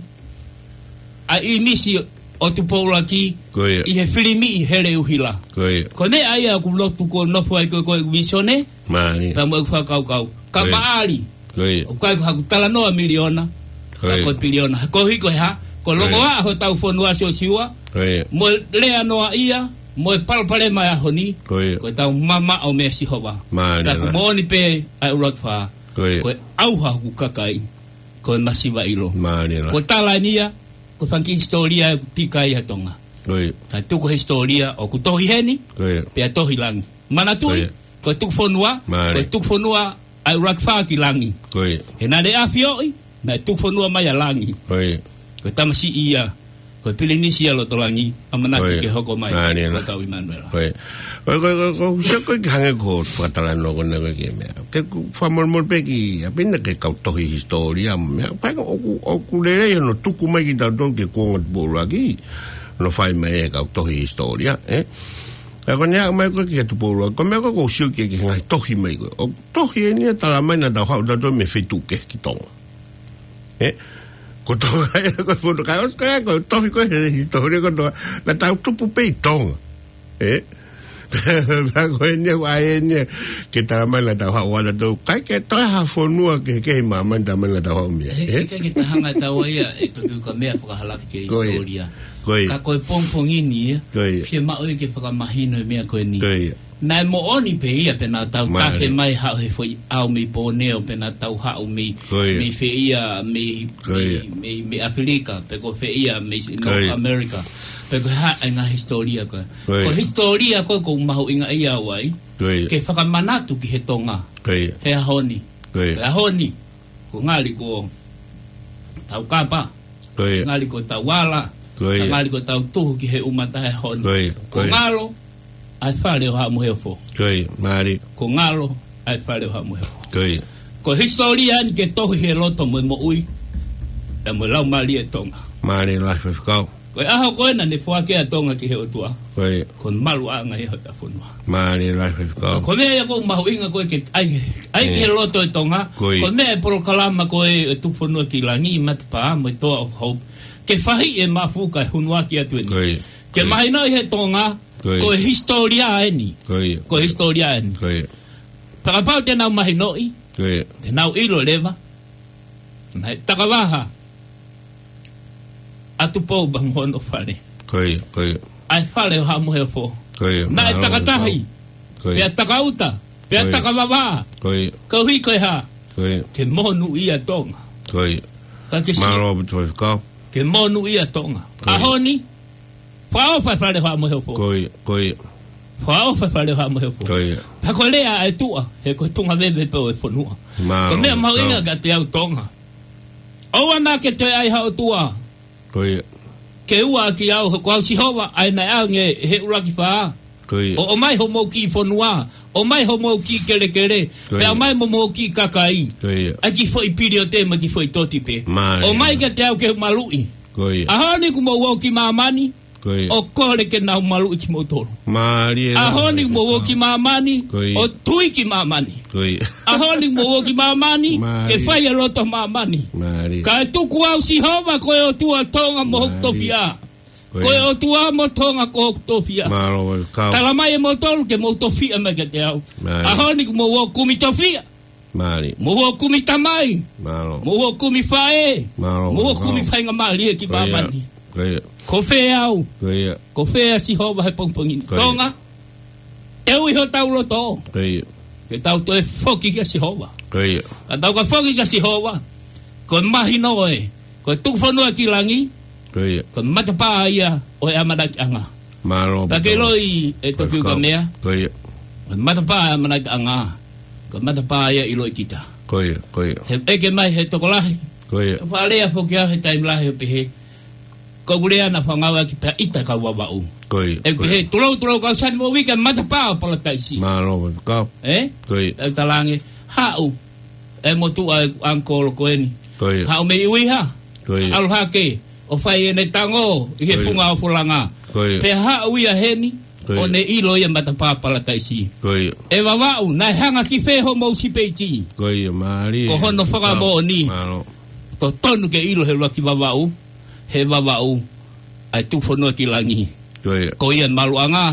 ʻa ʻInisi ʻo Tupou ʻUluaki. Ko ia. ʻI he filimi ʻi Heleʻuhila. Ko ia. Ko e meʻa ia ʻoku lotu kuo nofo ai ko ē ko e vīsone. Mālie. Pea mo ʻeku fakakaukau. Ka, ko ia, maʻali. Ko ia. ʻOku ʻikai ko haku talanoa miliona. Ko ia. Ka ko e piliona. Koeʻuhi ko e hā? Ko e, ko ia, longoaʻa hotau fonua Siosiua. Ko ia. Mo e lea noaʻia, mo e palopalema ʻo e ʻaho ni. Ko ia. Ko ʻetau mamaʻo meia Sihova. Mālie. Pea ʻoku moʻoni pē ʻa e ʻuluaki fā. Ko ia. Ko e ʻauha hoku kakai, ko e masiva ʻilo. Mālie. Ko e tala eni ia, ko e fanga kiʻi hisitōlia ʻoku tika ai ʻa Tonga. Ko ia. Ka tuku e hisitōlia ʻoku tohi heni, ko ia, pea tohi langi. Manatuʻi, ko ia, ko e tuku fonua, mālie, ko e tuku fonua ʻa e ʻUluaki Fā ki langi. Ko ia. He naʻe ʻafioʻi, naʻe tuku fonua mai ʻa langi. Ko ia. Ko e tamasiʻi ia, ko e pilinisi ia loto langi, ʻamanaki ke hoko mai, ko Tau ʻImanuela. Ko ia. Ko ia, ko ia, ko ia, ko ia, ko ia, ko ia, ke hangē ko e fakatalanoa ko ena ko e meʻa. Ke u fakamolemole pē ki ʻapi na ki he kau tohi hisitōlia mo e meʻa. Pea ʻoku, ʻoku lelei hono tuku mai kia tautolu ki he kuonga Tupou ʻUluaki. Hono fai mai ʻe he kau tohi hisitōlia, ē? Ka ko ʻene aʻu mai ko ē ki he Tupou ʻUluaki, ko e meʻa ko ē ʻoku ou sio ki he, ki he ngaahi tohi mai ko ē. ʻOku tohi eni ia tala mai naʻa tau haʻu tautolu mei he feituʻu kehe ki Tonga. Ē? Ko Tonga ia ko e fonua, ka ʻosi ko e, ko e tohi ko ē he hisitōlia ko Tonga. Naʻa tau tupu pē ʻi Tonga. Ē? Pea ko eni ia, ʻa eni ia, ke tala mai naʻa tau haʻu ʻatautolu. ʻIkai ke toe ha fonua kehekehe ʻi māmani tala mai naʻa tau haʻu mei ai. He, ē? He ʻikai ke ta hanga ʻe taua ia, ʻe Tokiukamea, fakahalaki ki he hisitōlia. Ko ia. Ko ia. Ka ko e pongipongi ni ia, ko ia, fiemaʻu ia ke fakamahino e meʻa ko eni. Ko ia. Naʻe moʻoni pē ia pea naʻa tau tafe mai haʻu he foʻi ʻao mei Pōneo, pea naʻa tau haʻu mei, mei fē ia, mei, mei, mei, mei ʻAfilika, pe ko fē ia, mei North America. Pe ko e hā e ngaahi hisitōlia ko ē. Ko e hisitōlia ko ē ʻoku ou mahuʻingaʻia au ai, ke fakamanatu ki he Tonga he ʻaho ni. He ʻaho ni, ko e ngali ko tau kapa. Ko ia. Ngali ko tau ala. Ko ia. Ngali ko tau tuhu ki he ʻumata he ʻaho ni. Ko ia. Ko ngalo ʻa e fale ʻo Haʻa Moheofo. Ko ia, mālie. Ko ngalo ʻa e fale ʻo Haʻa Moheofo. Ko ia. Ko e hisitōlia eni ke tohi he loto mo e moʻui, ʻa e mo e laumālie ʻo Tonga. Mālie lahi Faifekau. Ko e ʻaho ko ē naʻa ne foaki ai ʻa Tonga ki he ʻOtua. Ko ia. Ko e maluʻanga ia hota fonua. Mālie lahi Faifekau. Ko e meʻa ia ʻoku mahuʻinga ko ē ke ʻai, ʻai ki he loto ʻo Tonga. Ko ia. Ko e meʻa e polokalama ko ē ʻo e Tuku Fonua ki Langi, Matapā mo e Toa of Hope, ke fai e mafuka e hunuaki atu eni. Ko ia. Ke mahinoʻi he Tonga, ko e hisitōlia eni. Ko ia. Ko e hisitōlia eni. Ko ia. Pea kapau te nau mahinoʻi, ko ia, te nau ʻilo leva naʻe takavaha ʻa Tupou pea mo hono fale. Ko ia, ko ia. ʻA e fale ʻo Haʻa Moheofo. Ko ia. Naʻe takatahi. Ko ia. Pea takauta. Pea takavavā. Ko ia. Koeʻuhi ko e hā? Ko ia. Ke monūʻia Tonga. Ko ia. Ka ke si- Mālō ʻaupito Faifekau. Ke monūʻia Tonga. Ko ia. ʻAho ni, fakaʻofa e fale ʻo Haʻa Moheofo. Ko ia, ko ia. Fakaʻofa e fale ʻo Haʻa Moheofo. Ko ia. Pea ko e lea ʻa e tuʻa, he ko e tuʻunga veve pē ʻo e fonua. Mālō. Ko e meʻa mahuʻinga kiate au Tonga. ʻOua naʻa ke toe ʻai ha ʻotua. Ko ia. Ke ua ʻaki au, he ko au Sihova, ʻa ia naʻe ʻange ʻe he ʻUluaki Fā. Ko ia. ʻO, ʻomai homou kiʻi fonua, ʻomai homou kiʻi kelekele, ko ia, pea ʻomai mo homou kiʻi kakai. Ko ia. ʻA e kiʻi foʻi piliote mo e kiʻi foʻi toti pē. Mālie. ʻOmai kiate au ke u maluʻi. Ko ia. ʻAho ni kuo mou ō ki māmani, ko ia, ʻo kole ke nau maluʻi kimoutolu. Mālie. ʻAho ni kuo mou ō ki māmani, ko ia, ʻo tui ki māmani. Ko ia. ʻAho ni kuo mou ō ki māmani, mālie, ke fai e loto māmani. Mālie. Kae tuku au Sihova ko e ʻOtua ʻo Tonga mo hoku tofiʻa. Mālie. Ko ia. Ko e ʻOtua mo Tonga ko hoku tofiʻa. Mālō Faifekau. Tala mai ʻe moutolu ke mou tofiʻa mai kiate au. Mālie. ʻAho ni kuo mou ō ʻo kumi tofiʻa. Mālie. Mou ō ʻo kumi tamai. Mālō. Mou ō ʻo kumi faʻē. Mālō Faifekau. Mou ō ʻo kumi faingamālie ki māmani. Ko ia. Ko ia. Ko fē au? Ko ia. Ko fē ʻa Sihova he pongipongi ni? Ko ia. Tonga, ʻe ui hotau loto. Ko ia. Ke tau toe foki kia Sihova. Ko ia. Ka tau ka foki kia Sihova, ko e mahino ē, ko e Tuku Fonua ki Langi, ko ia, ko e matapā ia ʻo e ʻamanakiʻanga. Mālō. Pea ke ʻiloʻi ʻe Tokiukamea. Ko ia. Ko e matapā ʻo e ʻamanakiʻanga, ko e matapā ia ʻiloʻi kita. Ko ia, ko ia. He ʻeke mai he tokolahi. Ko ia. Fakalea foki au he taimi lahi ʻo pehē, ko ʻeku lea naʻa fangau ʻaki pea ʻita kau Vavaʻu. Ko ia, ʻeku pehē, ko ia, tulou, tulou kau sani mo uike matapā ʻo Palataisi. Mālō Faifekau. Ē? Ko ia. Tau talaange, haʻu e motuʻa ʻeku ʻangikolo ko eni. Ko ia. Haʻu mei ʻUiha. Ko ia. ʻAlu hake ʻo fai ʻene tango ʻi he, ko ia, funga ʻofolanga. Ko ia. Pea haʻu ia heni, ko ia, ʻo ne ʻilo ia matapā Palataisi. Ko ia. ʻE Vavaʻu, naʻe hanga ki fē homou sipeiti? Ko ia, mālie. Ko hono fakamoʻoni. Mālō. Totonu ke ʻilo he ʻuluaki Vavaʻu, he Vavaʻu ʻa e Tuku Fonua ki Langi. Ko ia. Ko ia e maluʻanga,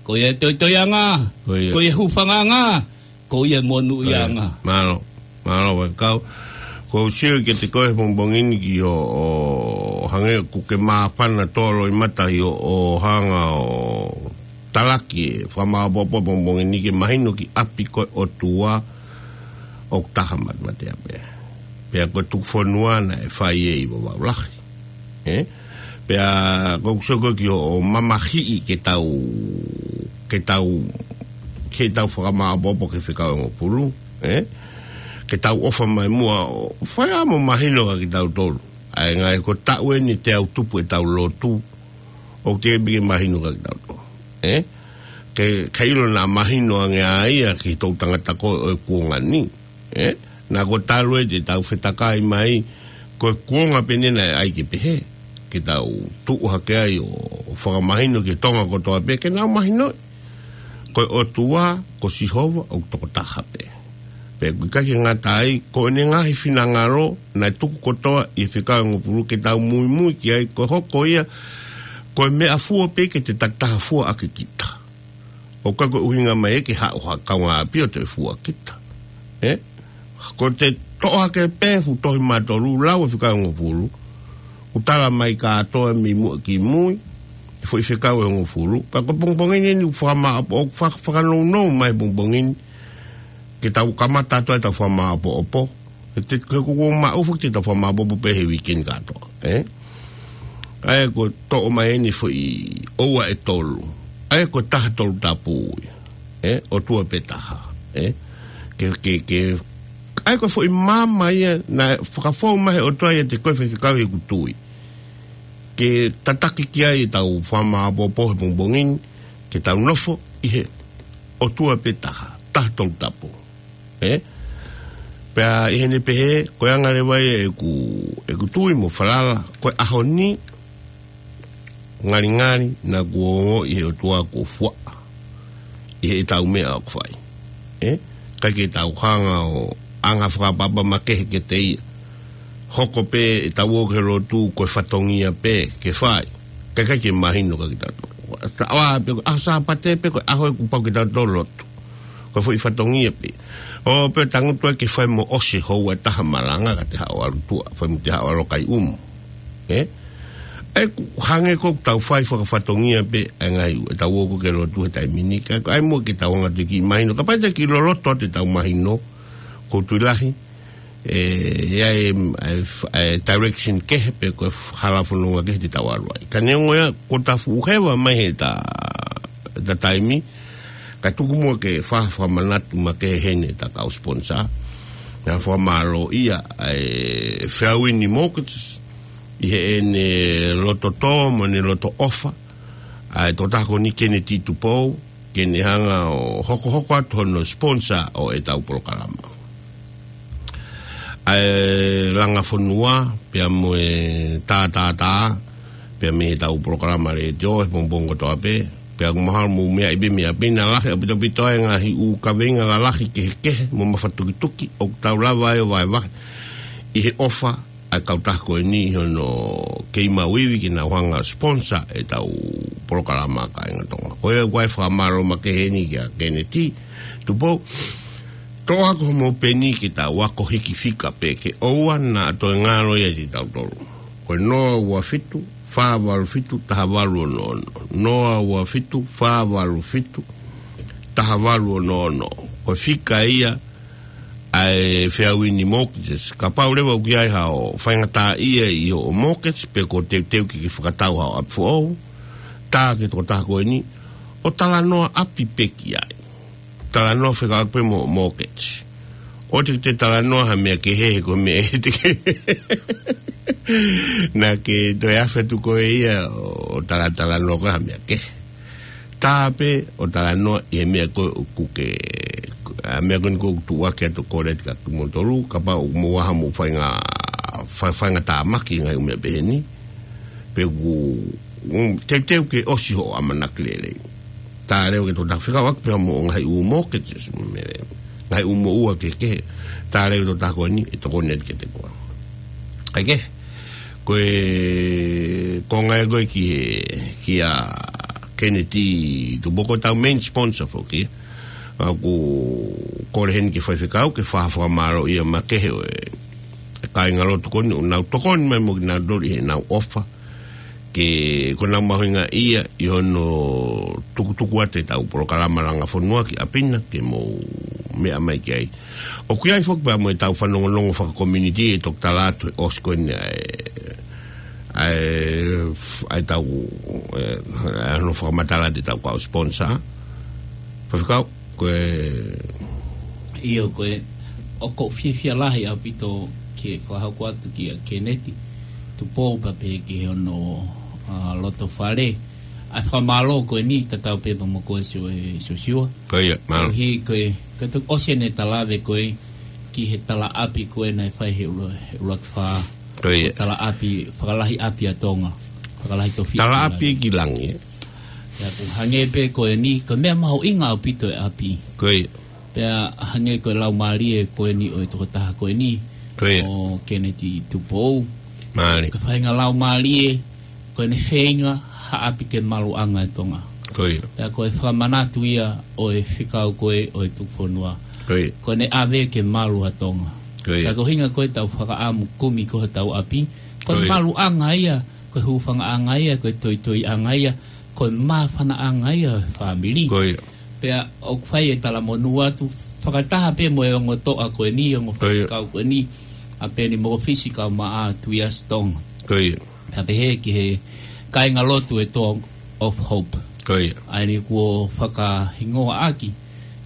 ko ia e toitoiʻanga, ko ia, ko ia e hūfangaʻanga, ko ia e monūʻiaʻanga. Mālō, mālō Faifekau. Ko u sio kiate koe he pongipongi ni ki hoʻo, ʻo hangē ʻoku ke māfana tolo ʻi mata ʻi hoʻo hanga ʻo talaki e fakamāʻopoʻopo pongipongi ni ke mahino ki ʻapi ko e ʻOtua ʻoku taha matematea pē. Pea ko e Tuku Fonua naʻe fai ʻe Vavaʻu Lahi. Ē? Pea ko u sio ko ē ki hoʻo mamahiʻi ke tau, ke tau, ke tau fakamāʻopoʻopo ki he fekau ʻe hongofulu, ē? ke tau ʻofa mai muʻa ʻo fai ʻa mo mahino kia kitautolu. ʻA e ngaahi ko e taʻu eni te tau tupu ʻetau lotu, ʻoku teʻeki ke mahino kia kitautolu. Ē? Ke, ke ʻilo naʻa mahino ange ʻa ia ki he toʻutangata ko ē ʻo e kuonga ni. Ē? Naʻa ko e talu ē te tau fetakai mai, ko e kuonga pē eni naʻe ʻai ke pehē. Ke tau tuʻu hake ai ʻo fakamahino ki Tonga kotoa pē, ke nau mahino. Ko e ʻOtua, ko Sihova, ʻoku tokotaha pē. Pea ʻoku ʻikai ke ngata ai, ko ʻene ngaahi finangalo, naʻe tuku kotoa ʻi he fekau ʻe hongofulu ke tau muimui ki ai, ko e hoko ia, ko e meʻafua pē ke te takitaha fua ʻaki kita. ʻOku ʻikai ko e ʻuhinga mai ē ke haʻu ha kaungāʻapi ʻo te fua kita. Ē? Ko te toʻo hake pē fuʻu tohi mā tolu, lau e fekau ʻe hongofulu, ʻoku tala mai kātoa mei muʻa ki mui, e foʻi fekau ʻe hongofulu. Pea ko e pongipongi ni ʻoku fakamāʻopo, ʻoku fa-, fakanounou mai pongipongi ni, ke tau kamata atu ai ʻetau fakamāʻopoʻopo. He te, he ko ʻoku maʻu foki ʻetau fakamāʻopoʻopo pē he weekend kātoa, ē? ʻA ia ko e toʻo mai eni foʻi ʻoua ʻe tolu. ʻA ia ko e taha tolu tapu ia. Ē, ʻOtua pē taha. Ē? Ke, ke, ke, ʻa ia ko e foʻi maama ia, naʻe fakafou mai he ʻOtua ia te koe faifekau he ʻeku tui. Ke tataki ki ai ʻetau fakamāʻopoʻopo he pongipongi ni, ke tau nofo ʻi he ʻOtua pē taha, taha tolu tapu. Ē? Pea ʻi heʻene pehē, ko e anga leva ia ʻeku, ʻeku tui mo falala, ko e ʻaho ni, ngalingali, naʻa kuo ongoʻi ʻe he ʻOtua kuo fua ʻi heʻetau meʻa ʻoku fai. Ē? ʻIkai ke tau hanga ʻo anga fakaʻapaʻapa makehe kiate ia. Hoko pē ʻetau ō ki he lotu ko e fatongia pē ke fai. Kae ʻikai ke mahino kia kitautolu. Taʻoa pē, ʻaho Sāpate pē ko e ʻaho ʻoku pau ke tau lotu. Ko e foʻi fatongia pē. ʻO pē tangutu ai ke fai mo ʻosi houa ʻe taha malanga ka te haʻu ʻalu tuʻa. Fai mo te haʻu ʻalu kai umu. Ē? ʻOku hangē ko ʻetau fai fakafatongia pē, ʻa e ngaahi, ʻetau ō ko ē ki he lotu he taimi ni, ka ʻoku ʻai muʻa ke tau anga atu ki mahino, kapau te ke loloto atu ʻetau mahino, ko e tui lahi, ē, ʻe ʻi ai e, e, e direction kehe pe ko e hala fononga kehe te tau ʻalu ai. Ka neongo ia, ko ʻeta fuʻu heva mai he ta, ta taimi, ka tuku muʻa ke fa-, fakamanatu makehe heni ʻeta kau sponsor, naʻa fakamālō ia, ʻa e Feauini Mortgages, ʻi heʻene loto tō mo ʻene loto ʻofa, ʻa e tokotaha ko eni Keneti Tupou, ke ne hanga ʻo hokohoko atu hono sponsor ʻo ʻetau polokalama. ʻA e Langa Fonua, pea mo e Tātātā, pea mei heʻetau polokalama letiō, he pongipongi kotoa pē, pea ʻoku mahalo mou meaʻi pē mei ʻapi na lahi ʻaupito ʻa e ngaahi ʻū kaveinga lalahi kehekehe, mo mafatukituki, ʻoku tau lava ai ʻo vahevahe ʻi he ʻofa ʻa e kautaha ko eni ʻi hono kei maʻu ivi ke nau hanga sponsor ʻetau polokalama kāinga Tonga. Ko ia ʻoku ʻai fakamālō makehe eni kia Keneti Tupou. Toʻo ʻaki hoʻomou peni ke tau ako hiki fika pē ke ʻoua naʻa toe ngalo ia kiate kitautolu. Ko e noa ua fitu, fā valu fitu, taha valu ono ono. Noa ua fitu, fā valu fitu, taha valu ono ono. Ko e fika ia ʻa e Feauini Mortgages. Kapau leva ʻoku ʻi ai haʻo faingataʻaʻia ʻi hoʻo mortgage, pe ko e teuteu ke ke fakatau haʻo ʻapi foʻou, tā ki he tokotaha ko eni, ʻo talanoa ʻapi pē ki ai. Talanoa fekauʻaki pē mo e mortgage. ʻOua te ke talanoa ha meʻa kehe, he ko e meʻa ʻe te ke. Naʻa ke toe afe atu koe ia ʻo talatalanoa koe ha meʻa kehe. Tā pē ʻo talanoa ʻi he meʻa ko ē ʻoku ke, ʻa e meʻa ko eni ʻoku tuʻuaki atu ko ē kia kimoutolu, kapau ʻoku mou ʻi ai haʻamou fainga, fa-, faingatāmaki ngaahi ʻū meʻa pehē ni. Pe ʻoku, mm, teuteu ke ʻosi hoʻo ʻamanaki lelei. Tā leva ki he tokotaha fekauʻaki pē mo e ngaahi ʻū mortgages, mo e meʻa, ngaahi ʻū moʻua kehekehe. Tā leva ki he tokotaha ko eni, ʻe tokoni atu kiate koe. ʻA ia ke, ko e, ko e ngaahi ko ē ki he, kia Keneti Tupou ko ʻetau main sponsor foki. ʻOku kole heni ki he faifekau ke fai ha fakamālōʻia makehe ʻo e, e kāingalotu ko eni, ʻoku nau tokoni mai mo kinautolu ʻi heʻenau ʻofa. Ke ko ʻenau mahuʻingaʻia ʻi hono tukutuku atu ʻetau polokalama Langa Fonua ki ʻapi na ke mou meʻa mai ki ai. ʻOku ʻi ai foki pea mo ʻetau fanongonongo fakakomiunitī ʻe toki tala atu he ʻosi ko eni ʻa e, ʻa e, ʻa ʻetau, ē, ʻa hono fakamatala atu ʻetau kau sponsor. Faifekau, ko e ʻIo, ko e ʻoku ou fiefia lahi ʻaupito ke fakahoko atu kia Keneti Tupou pea pehē ki hono, ʻa, loto fale ʻa e fakamālō ko eni tatau pē mo koe Sio-, ʻe Siosiua. Ko ia, mālō. Koeʻuhi ko e, ko e toki ʻosi ʻene talave ko ē ki he talaʻapi ko ē naʻe fai he ʻulu-, he ʻuluaki fā. Ko ia. Talaʻapi, fakalahi ʻapi ʻa Tonga. Fakalahi tofiʻa ki langi. Talaʻapi ki langi, ē? Pea ʻoku hangē pē ko eni, ko e meʻa mahuʻinga ʻaupito e ʻapi. Ko ia. Pea hangē ko e laumālie ko eni ʻo e tokotaha ko eni. Ko ia. ʻO Keneti Tupou. Mālie. Ko e faʻahinga laumālie, ko ʻene feinga ha ʻapi ke maluʻanga e Tonga. Ko ia. Pea ko e fakamanatu ia ʻo e fekau ko ē ʻo e tuku fonua. Ko ia. Ko ʻene ʻave ke malu ʻa Tonga. Ko ia. Pea ko e ʻuhinga ko ē ʻetau fakaʻamu kumi ko hotau ʻapi. Ko e Ko ia. maluʻanga ia, ko e hūfangaʻanga ia, ko e toitoiʻanga ia, ko e māfanaʻanga ia ʻo e fāmili. Ko ia. Pea ʻoku fai e talamonū atu, fakataha pē mo e ongo toʻa ko eni, ongo Ko ia. faifekau ko eni, ʻa Peni Mokofisi kae ʻumaʻā Tuiasi Tonga. Ko ia. Pea pehē ki he kāingalotu e Door of Hope. Ko ia. ʻA eni kuo fakahingoa ʻaki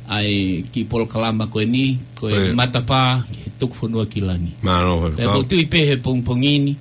ʻa e kiʻi polokalama ko eni, ko e Ko ia. Matapā ki he Tuku Fonua ki Langi. Mālō, Pea faifekau. ʻoku ou tui pē he pongipongi ni,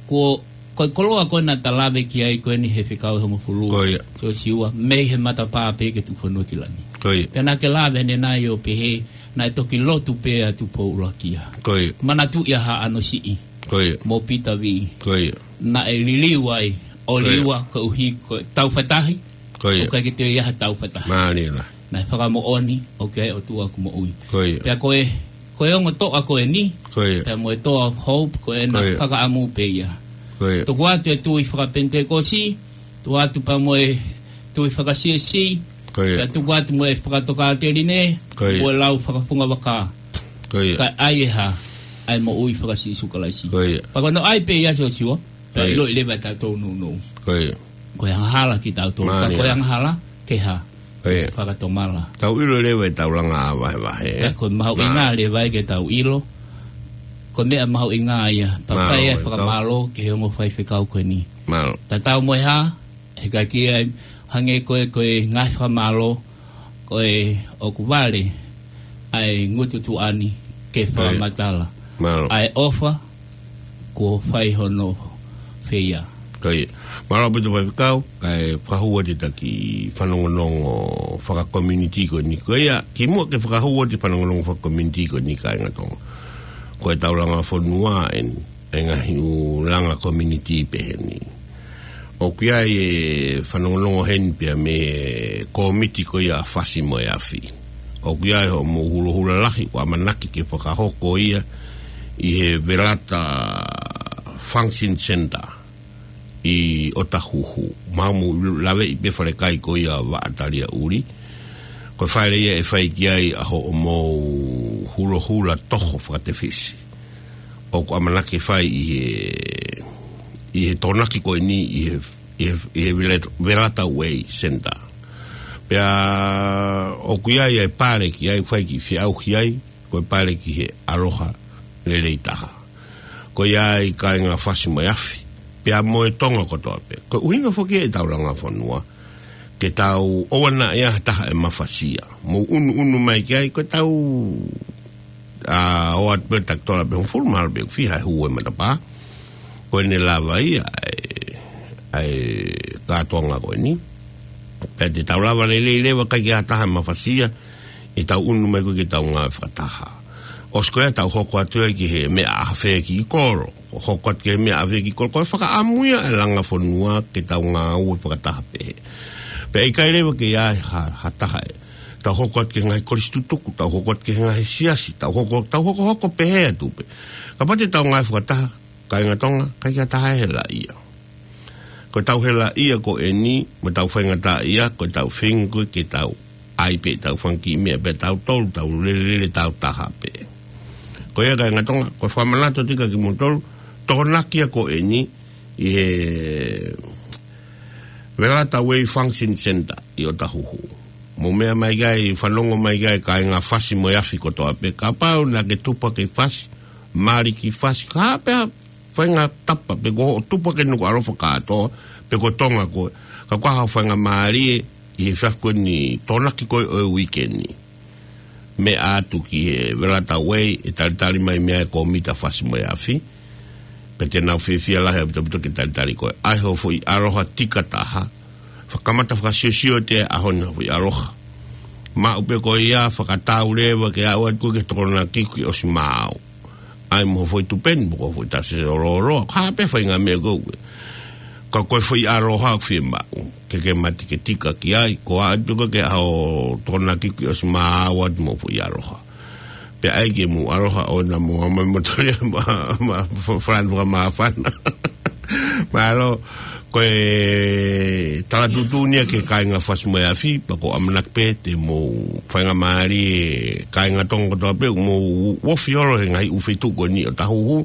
kuo, ko e koloa ko ē naʻa ta lave ki ai ko eni he fekau ʻe hongofulu. Ko ia. Siosiua, mei he matapā pē ki he Tuku Fonua ki Langi. Ko ia. Pea naʻa ke lave ʻanenai ʻo pehē, naʻe toki lotu pē ʻa Tupou ʻUluaki ia. Ko ia. Manatuʻi ʻa Haʻano Siʻi. Ko ia. Mo Pita Vī. Ko ia. Naʻe liliu ai, ʻo Ko ia. liua, koeʻuhi, ko e taufaitahi. Ko ia. ʻOku ʻikai ke toe ʻi ai ha taufaitahi. Mālie lahi. Naʻe fakamoʻoni, ʻoku ʻi ai e ʻOtua ʻoku moʻui. Ko ia. Pea ko e, ko e ongo toʻa ko eni, Ko ia. pea mo e Door of Hope, ko ʻena Ko ia. fakaʻamu pē ia. Ko ia. Tuku atu e tui fakapenitekosi, tuku atu pea mo e tui fakasiasi, Ko ia. pea tuku atu mo e fakatokāteline, Ko ia. mo e lau fakafungavaka. Ko ia. Kae ʻai ʻe hā, ʻa e moʻui faka-Sīsū Kalaisi. Ko ia. Pea ko hono ʻai pē ia Siosiua, pea Ko ia. ʻiloʻi leva ʻe tautolu nounou. Ko ia. Ko e angahala kitautolu, Mālie. ka ko e angahala, ke hā, Ko ia. fakatomala. Tau ʻilo leva ʻetau langa ʻā vahevahe, ē? Ka ko e mahuʻinga Mālie. leva ia ke tau ʻilo. Ko e meʻa mahuʻinga ia, pea Mālō, fai e ʻe tau. fakamālō ki he ongo faifekau ko eni. Mālō. Tatau mo e hā, he ka ki ai, hangē ko e, ko e ngaahi fakamālō, ko e ʻoku vale ʻa e ngutu tuʻa ni ke Ko ia. fakamatala. Mālō. ʻA e ʻofa, kuo fai hono feia. Ko ia. Mālō ʻaupito faifekau, kae fakahū atu ʻetau kiʻi fanongonongo fakakomiunitī ko eni. Ko ia, kimuʻa ke fakahū atu e fanongonongo fakakomiunitī ko eni kāinga Tonga. Ko ʻetau langa fonua eni, e ngaahi ʻū langa komiunitī pehē ni. ʻOku ʻi ai e fanongonongo heni pea mei he kōmiti ko ia Fasi mo e Afi. ʻOku ʻi ai hoʻomou hulohula lahi, ʻoku ʻamanaki ke fakahoko ia ʻi he Velata Function Center ʻi ʻOtahuhu. Mau mou laveʻi pē falekai ko ia Vaʻa Taliaʻuli. Ko e fale ia ʻe fai ki ai ʻa hoʻomou hulohula toho fakatefisi. ʻOku ʻamanaki ke fai ʻi he, ʻi he Tokonaki ko eni ʻi he, ʻi he, ʻi he Velat-, Velata Way Center. Pea ʻoku ʻi ai e pale ki ai, fai kiʻi feʻauhi ai, ko e pale ki he Aloha Lelei Taha. Ko ia ai kāinga Fasi mo e Afi, pea mo e Tonga kotoa pē. Ko e ʻuhinga foki ʻetau langa fonua, ke tau ʻoua naʻa ʻi ai ha taha ʻe mafasia. Mou ʻunuʻunu mai ki ai, ko ʻetau, ʻa, ʻoatu pē takitola pē hongofulu, mahalo pē ʻoku fiha e hū e matapā. Ko ʻene lava ia ʻa e, ʻa e kātoanga ko eni. Pea te tau lava lelei leva, ʻikai ke ʻi ai ha taha ʻe mafasia, ʻetau ʻunu mai ko ē ke tau ngāue fakataha. ʻOsi ko ia tau hoko atu ai ki he meʻa ʻa fē ki kolo. ʻO hoko atu ki he meʻa ʻa fē ki kolo. Ko e fakaʻamu ia e langa fonua ke tau ngāue fakataha pehē. Pea ʻikai leva ke ʻi ai ha, ha taha ʻe. Tau hoko atu ki he ngaahi kolisi tutuku, tau hoko atu ki he ngaahi siasi, tau hoko, tau hokohoko pehē atu pē. Kapau te tau ngāue fakataha, kāinga Tonga, ʻikai ke ʻi ai ha taha ʻe helaʻia. Ko ʻetau helaʻia ko eni, mo ʻetau faingataʻaʻia, ko ʻetau feinga ko ē ke tau ʻai pē ʻetau fanga kiʻi meʻa pē tautolu, tau lelelele tau taha pē. Ko ia kāinga Tonga, ko e fakamanatu atu ia kia kimoutolu, Tokonaki ia ko eni, ʻi he Velata Way Function Center, ʻi ʻOtahuhu. Mou meʻa mai ki ai, fanongo mai ki ai, kāinga Fasi mo e Afi kotoa pē, kapau naʻa ke tupu hake ʻi Fasi, mali ki Fasi, ka pē ha faʻahinga tapa, pe ko hoʻo tupu hake Nukuʻalofa kātoa, pe ko Tonga koe. Ka ko ha faʻahinga mālie, ʻi he efiafi ko eni Tokonaki ko ē ʻo e uike ni. meʻa atu ki he Velatauei, ʻe talitali mai mei ai e kōmiti ʻa Fasi mo e Afi. Pea te nau fiefia lahi ʻaupito ke talitali koe. ʻAi hoʻo foʻi ʻaloha tika taha. Fakaʻamu fakasiosio ʻi he ʻaho ni hoʻo foʻi ʻaloha. Maʻu pē ko ia, fakatau leva ke aʻu atu ki he Tokonaki kuo ʻosi maau. ʻAi mo hoʻo foʻi tupe ni, mo hoʻo foʻi tasi oloolo, ko e hā pē faʻahinga meʻa ko ē. Ka ko e foʻi ʻaloha ʻoku fiemaʻu ke ke mate ke tika ki ai, ko e aʻu atu ki he ʻaho Tokonaki kuo ʻosi maau atu mo e foʻi ʻaloha. Pea ʻai ke mou ʻaloha ʻo na mo ama mo tole ma, ma, fa-, falani fakamāfana. Mālō, ko e tala tuʻutuʻuni ia ki he kāinga Fasi mo e Afi, pea ko e ʻamanaki pē te mou faingamālie e kāinga Tonga kotoa pē, mou ofi holo he ngaahi ʻū feituʻu ko eni ʻo Tahuhu,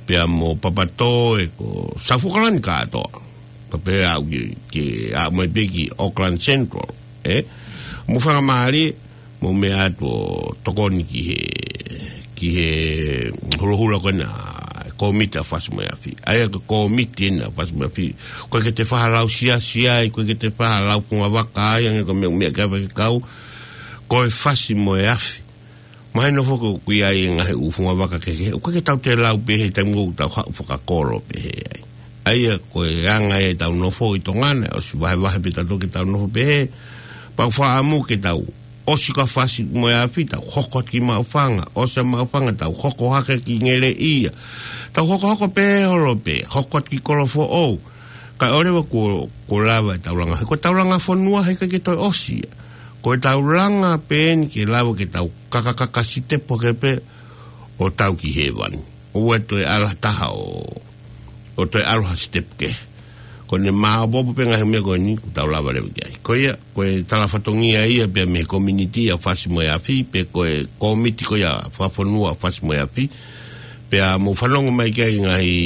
pea mo Papatoe, ko South Auckland kātoa. Pea pehē aʻu ki, ki aʻu mai pē ki Auckland Central, ē? Mou faingamālie, mou meʻa atu ʻo tokoni ki he, ki he holoholo ko ena, kōmiti ʻa Fasi mo e Afi. ʻAi ko e kōmiti ena ʻa Fasi mo e Afi. ʻOku ʻikai ke te faʻa lau siasi ai, ʻoku ʻikai ke te faʻa lau fungavaka ai, hangē ko e meʻa, meʻa ki ai e faifekau. Ko e Fasi mo e Afi. Mahino foki ʻoku ʻi ai e ngaahi ʻū fungavaka kehekehe. ʻOku ʻikai ke tau toe lau pehē he taimi ʻoku tau haʻu fakakolo pehē ai. ʻAi ko e anga ʻetau nofo ʻi Tonga ni, ʻosi vahevahe pē tautolu ke tau nofo pehē. Pea ʻoku ou fakaʻamu ke tau ʻosi ko e Fasi mo e Afi, tau hoko atu ki Maʻufanga, ʻosi ʻa Maʻufanga, tau hoko hake ki Ngeleʻia. Tau hokohoko pē holo pē, hoko atu ki Kolofoʻou. Kae ʻoua leva kuo, kuo lava ʻetau langa. He ko ʻetau langa fonua, heʻikai ke toe ʻosi ia. Ko ʻetau langa pē eni ke lava ke tau kakakaka sitepu hake pē ʻo tau ki hēvani. ʻOua ʻe toe ʻalu ha taha ʻo, ʻo toe ʻalu ha sitepu kehe. Ko ʻene maopoopo pē ngaahi meʻa ko eni, kuo tau lava leva ki ai. Ko ia, ko e tala fatongia ia pea mei he kōmiti ʻa Fasi mo e Afi, pe ko e kōmiti ko ia fakafonua ʻa Fasi mo e Afi. Pea mou fanongo mai ki ai ngaahi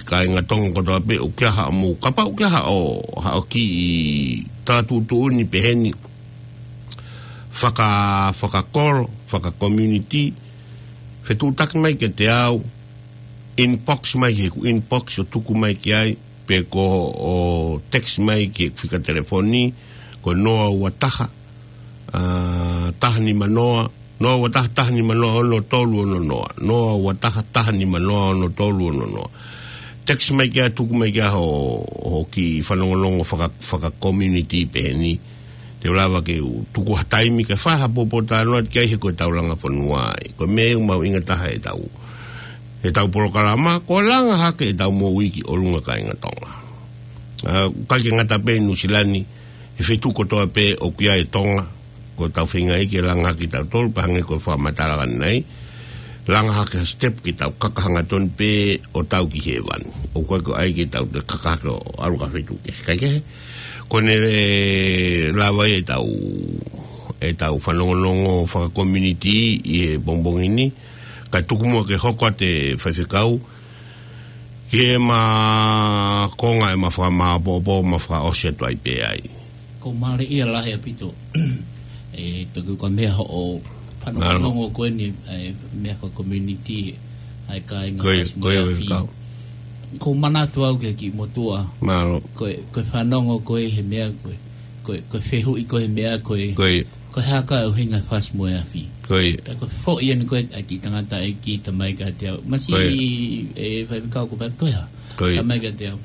kāinga Tonga kotoa pē, ʻoku ʻi ai haʻamou, kapau ʻoku ʻi ai haʻo, haʻo kiʻi tala tuʻutuʻuni pehē ni, faka-, fakakolo, fakakōmiti, fetuʻutaki mai kiate au, inbox mai ki heʻeku inbox ʻo tuku mai ki ai, pe ko e text mai ki heʻeku fika telefoni, ko e noa ua taha, ā, taha nima noa, noa ua taha, taha nima noa, ono tolu ono noa, noa ua taha, taha nima noa, ono tolu ono noa. Text mai ki ai, tuku mai ki ai hoʻo, hoʻo kiʻi fanongonongo faka-, fakakōmiti pehē ni. Te u lava ke u tuku ha taimi ke fai ha pōpōtalanoa ki ai he ko ʻetau langa fonua ia. Ko e meʻa ia ʻoku mahuʻinga taha ʻetau, ʻetau polokalama, ko e langa hake ʻetau moʻui ki ʻolunga kāinga Tonga. Ā, ʻikai ke ngata pē ʻi Nuʻu Sila ni, he feituʻu kotoa pē ʻoku ʻi ai e Tonga, ʻoku tau feinga ai ke langa hake kitautolu, pea hangē ko e fakamatala ʻanenai, langa hake ha sitepu ke tau kaka hangatonu pē ʻo tau ki hēvani. ʻOku ʻikai ko e ʻai ke tau toe kaka hake ʻo ʻalu ki ha feituʻu kehe. Kae kehe, ko ʻene lava ia ʻetau, ʻetau fanongonongo fakakōmiti ʻi he pongipongi ni, kae tuku muʻa ke hoko atu e faifekau, ki heʻema konga ʻema fakamaopoopo, ma fakaʻosi atu ai pē ai. Ko e mālie ia lahi ʻaupito. ʻE, toki ko e meʻa hoʻo fanongonongo ko eni, ʻa e meʻa fakakōmiti, ʻa e kāinga Fasi mo e Afi. Ko e manatu au ki he kiʻi motuʻa. Mālō. Ko e, ko e fanongo ko ē he meʻa ko ē. Ko e, ko e fehuʻi ko ē he meʻa ko ē. Ko e hā ka ʻuhinga Fasi mo e Afi. Ko e. Ka ko e foʻi eni ko ē ʻa e kiʻi tangataʻeiki talamai kiate au. Masiʻi, ʻe, faifekau ko e hā. Talamai kiate au.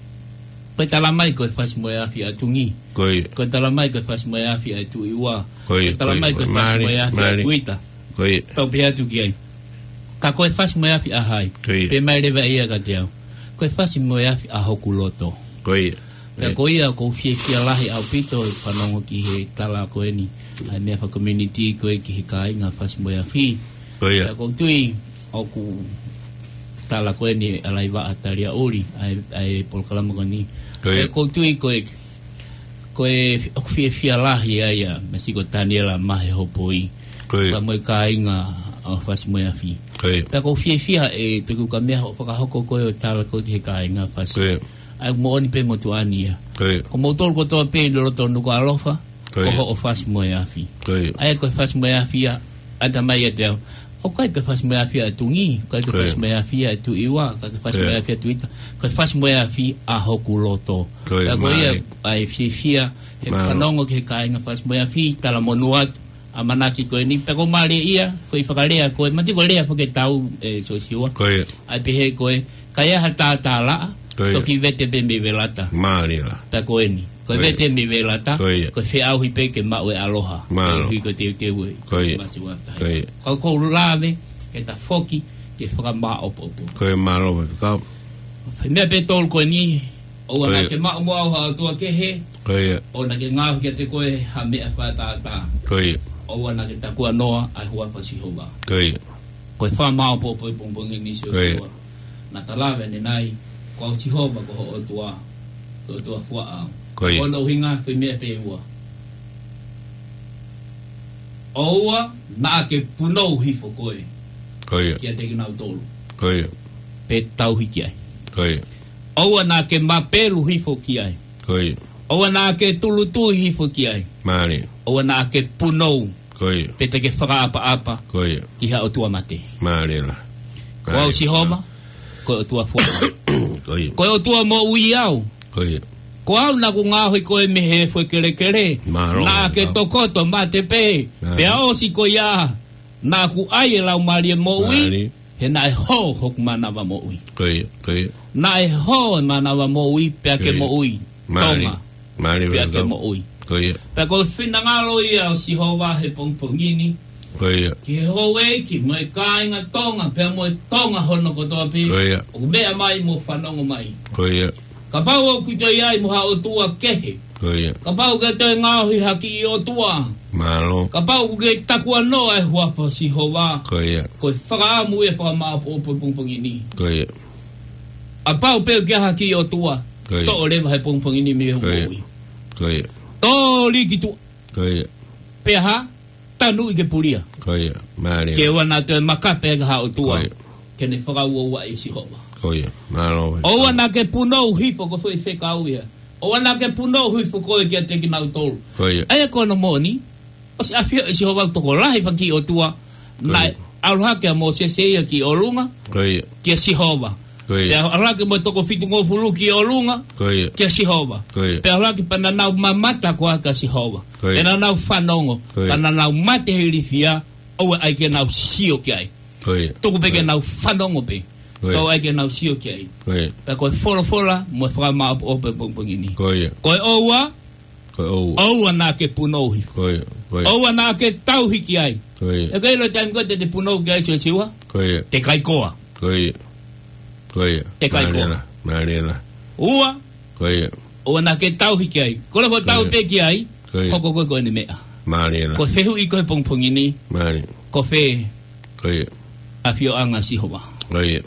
Ko e talamai ko e Fasi mo e Afi ʻa Tungi. Ko e. Ko e talamai ko e Fasi mo e Afi ʻa Tuʻi Ua. Ko e talamai ko e Fasi mo e Afi ʻa Tuita. Ko e. Pau pē atu ki ai. Ka ko e Fasi mo e Afi ʻa hai. Ko e. Pehē mai leva ia kiate au. Ko e Fasi mo e Afi ʻa hoku loto. Ko e. Pea ko ia ʻoku ou fiefia lahi ʻaupito he fanongo ki he tala ko eni. ʻA e meʻa fakakōmiti ko ē ki he kāinga Fasi mo e Afi. Ko ia. Pea ʻoku ou tui ʻoku tala ko eni ʻa Laivaʻa Taliaʻuli, ʻa e, ʻa e polokalama ko eni. Ko ia. Pea ʻoku ou tui ko e, ko e ʻoku fiefia lahi ai ʻa Masiʻi ko Taniela Mahe Hopoi. Ko ia. Pea mo e kāinga ʻo Fasi mo e Afi. Ko ia. Pea ʻoku ou fiefia ʻe toki ka meʻa hoʻo fakahoko ko ē ʻo tala ko ē ki he kāinga Fasi. Ko ia. ʻA ia moʻoni pē motuʻa ni ia. Ko ia. Ko moutolu kotoa pē ʻi loto Nukuʻalofa. Ko ia. Ko hoʻo Fasi mo e Afi. Ko ia. ʻA ia ko e Fasi mo e Afi ia, ʻa talamai kiate au. ʻOku ʻikai ko e Fasi mo e Afi ʻa Tungi, ʻikai ko e Fasi mo e Afi ʻa Tuʻi Ua, ʻikai ko e Fasi mo e Afi ʻa Tuita. Ko e Fasi mo e Afi ʻa hoku loto. Ko ia, ʻa ia ko ia, mālie. ʻA e fiefia, he fanongo ki he kāinga Fasi mo e Afi, talamonū atu, ʻamanaki ko eni, pea ko e mālie ia, foʻi fakalea ko e, mati ko e lea foki ʻe tau, ē, Siosiua. Ko ia. ʻAi pehē ko e, ka ʻi ai ha tātālaʻa, ko ia, toki vete pē mei velata. Mālie lā. Pea ko eni. Ko e, ko ia, vete mei velata, ko ia, ko e feʻauhi pē ke maʻu e ʻaloha. Mālō. Ko e ʻuhi ko e teuteu ē. Ko ia. Masiwata. Ko ia. Ka ʻoku ou lave, ke ta foki, ke fakamaʻopoʻopo. Ko ia, mālō, ka. Meʻa pē tolu ko eni, ʻoua naʻa, ko ia, ke maʻu mo au ha ʻotua kehe, ko ia, ʻoua naʻa ke ngaohi kiate koe ha meʻa fakatātā. Ko ia. ʻOua naʻa ke takuanoa ʻa e huafa ʻo Sihova. Ko ia. Ko e fakamaʻopoʻopo ʻi he pongipongi ni, Siosiua. Ko ia. Naʻa ta lave ʻanenai, ko au Sihova ko ho ʻOtua, ko e ʻOtua fuaʻau. Ko ia. Ko hono ʻuhinga, ko e meʻa pē ʻe ua. ʻOua naʻa ke punou hifo koe, ko ia, kiate kinautolu. Ko ia. Pe tauhi ki ai. Ko ia. ʻOua naʻa ke mapelu hifo ki ai. Ko ia. ʻOua naʻa ke tulutui hifo ki ai. Mālie. ʻOua naʻa ke punou. Ko ia. Pe te ke fakaʻapaʻapa, ko ia, ki ha ʻotua mate. Mālie lā. Ko au, mālie, Sihova, ko e ʻOtua fuaʻau. Ko ia. Ko e ʻOtua moʻui au. Ko ia. Ko au naʻa ku ngaohi koe mei he efu ʻo e kelekele. Mālō. Naʻa ke, mālō, tokoto mate pē. Mālie. Pea ʻosi ko ia, naʻa ku ʻai e laumālie moʻui. Mālie. He naʻe hō hoku mānava moʻui. Ko ia, ko ia. Naʻe hō e mānava moʻui, pea ke, ko ia, moʻui. Mālie. Tonga. Mālie, pea ke, mālie, moʻui. Ko ia. Pea ko e finangalo ia ʻo Sihova he pongipongi ni. Ko ia. Ki he houʻeiki mo e kāinga Tonga, pea mo e Tonga hono kotoa pē. Ko ia. ʻOku meʻa mai mo fanongo mai. Ko ia. Kapau ʻoku ʻi ai mo ha ʻotua kehe. Ko ia. Kapau ʻoku ke toe ngaohi ha kiʻi ʻotua. Mālō. Kapau ʻoku ke takuanoa e huafa ʻo Sihova. Ko ia. Ko e fakaʻamu ia fakamaʻopoʻopo he pongipongi ni. Ko ia. Kapau pē ʻoku ʻi ai ha kiʻi ʻotua. Ko ia. Toʻo leva he pongipongi ni mei hoʻo, ko ia, moʻui. Ko ia. Tō liki tuʻa. Ko ia. Pea hā? Tanuʻi ke pulia. Ko ia, mālie. Ke ʻoua naʻa toe makape ha ʻotua. Ko ia. Ke ne fakauaua ʻe Sihova. Ko ia, mālō. ʻOua naʻa ke punou hifo, ko e foʻi fekau ia. ʻOua naʻa ke punou hifo koe kiate kinautolu. Ko ia. ʻA ia ko hono moʻoni, ʻosi ʻafio ʻe Sihova tokolahi fanga kiʻi ʻotua. Ko ia. Naʻe ʻalu hake ʻa Mōsese ia ki ʻolunga. Ko ia. Kia Sihova. Ko ia. Pea ʻalu hake mo e toko fitungofulu ki ʻolunga. Ko ia. Kia Sihova. Ko ia. Pea ʻalu hake pea naʻa nau mamata koā kia Sihova. Ko ia. Pea naʻa nau fanongo. Ko ia. Ka naʻa nau mate he ilifia, ʻoua ʻai ke nau sio ki ai. Ko ia. Tuku pē ke, ko ia, nau fanongo pē. Ko ia. Ka ʻoua ʻai ke nau sio ki ai. Ko ia. Pea ko e folofola mo e fakamaʻopoʻopo he pongipongi ni. Ko ia. Ko e ʻoua. Ko e ʻoua. ʻOua naʻa ke punou hifo. Ko ia. Ko ia. ʻOua naʻa ke tauhi ki ai. Ko ia. ʻE ke ʻilo e taimi ko ē te te punou ki ai, Siosiua? Ko ia. Te kai koa. Ko ia. Ko ia. Te kai koa. Mālie lā. Mālie lā. Ua. Ko ia. ʻOua naʻa ke tauhi ki ai. Ko e lava, ko ia, tauhi pē ki ai. Ko ia. Hoko koe ko ʻene meʻa. Mālie lā. Ko e fehuʻi ko ē he pongipongi ni. Mālie. Ko fē, ko ia, ʻafioʻanga ʻo Sihova? Ko ia.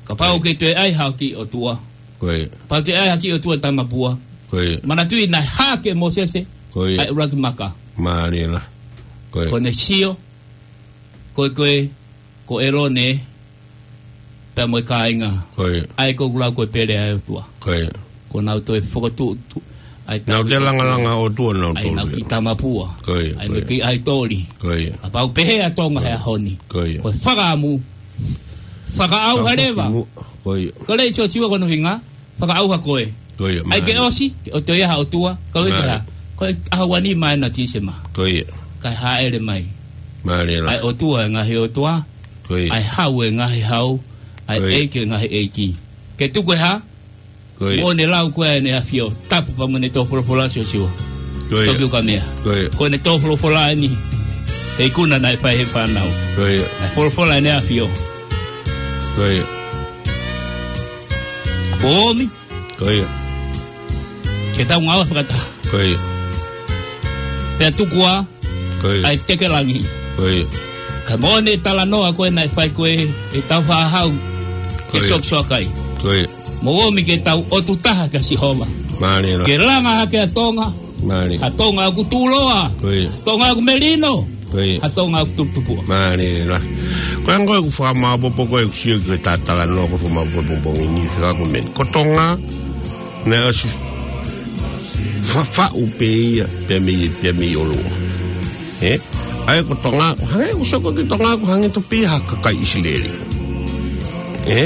Kapau, ko ia, ke toe ʻai ha kiʻi ʻotua. Ko ia. Kapau te ʻai ha kiʻi ʻotua tamapua. Ko ia. Manatuʻi naʻe hā ʻe Mōsese, ko ia, ʻa e ʻuluaki maka. Mālie lā. Ko ia. Ko ʻene sio, ko e, ko e, ko ʻĒlone, pea mo e kāinga. Ko ia. ʻA ia ko ʻeku lau ko e pele ʻa e ʻOtua. Ko ia. Ko ʻenau toe fokotuʻutuʻu. ʻA ia nau toe langalanga ʻOtua, nau toe, ʻa ia nau kiʻi tamapua. Ko ia, ʻa ia ko ia, nau kiʻi ʻaitoli. Ko ia. Kapau pehē ʻa Tonga he ʻaho ni. Ko ia. Ko e fakaʻamu. Fakaʻauha leva. Ko ia. Ko e lea ʻa Siosiua ko hono ʻuhinga. Fakaʻauha koe. Ko ia, mālie. ʻAi ke ʻosi, ke ʻoua toe ʻi ai ha ʻotua, ka ʻoua te, mālie, ha. Ko e ʻaho ua nima ena ʻo Tīsema. Ko ia. Kae hāʻele mai. Mālie lā. ʻA e ʻOtua ʻo e ngaahi ʻotua. Ko ia. ʻA e Hau ʻo e ngaahi hau. ʻA e, ko ia, ʻEiki ʻo e ngaahi ʻeiki. Ke tuku e hā? Ko ia. Mo ʻene lau ko ē ʻEne ʻAfio. Tapu pea mo ʻene tō folofola, Siosiua. Ko ia. Toki ukamea. Ko ia. Ko ʻene tō folofola eni. He ikuna naʻe fai ʻe he fānau. Ko ia. Naʻe folofola ʻEne ʻAfio. Ko ia. Kuo ʻomi. Ko ia. Ke tau ngāue fakataha. Ko ia. Pea tuku ā, ko ia, ʻa e teke langi. Ko ia. Kae moʻoni e talanoa ko ē naʻe fai ko ē ʻe he tau fāhau, ko ia, ke sokisoki ai. Ko ia. Mou ōmi ke tau ʻotu taha kia Sihova. Mālie lā. Ke langa hake ʻa Tonga. Mālie. ʻA Tonga ʻoku tuʻuloa. Ko ia. Tonga ʻoku melino. Ko ia. ʻA Tonga ʻoku tuputupuʻa. Mālie lā. Ko e anga ko ē ʻeku fakamaʻopoʻopo ko ē ʻeku sio ki he talanoa ko ē ʻoku fakamaʻopoʻopo he pongipongi ni, fekau ko e meʻa ni. Ko Tonga, naʻe ʻosi faʻufaʻu pē ia, pea mei, pea mei ʻolunga. Ē? ʻA ia ko Tonga, hangē ʻoku sio ko ē ki Tonga, ʻoku hangē tofu pē ha kakai ʻIsileli. Ē?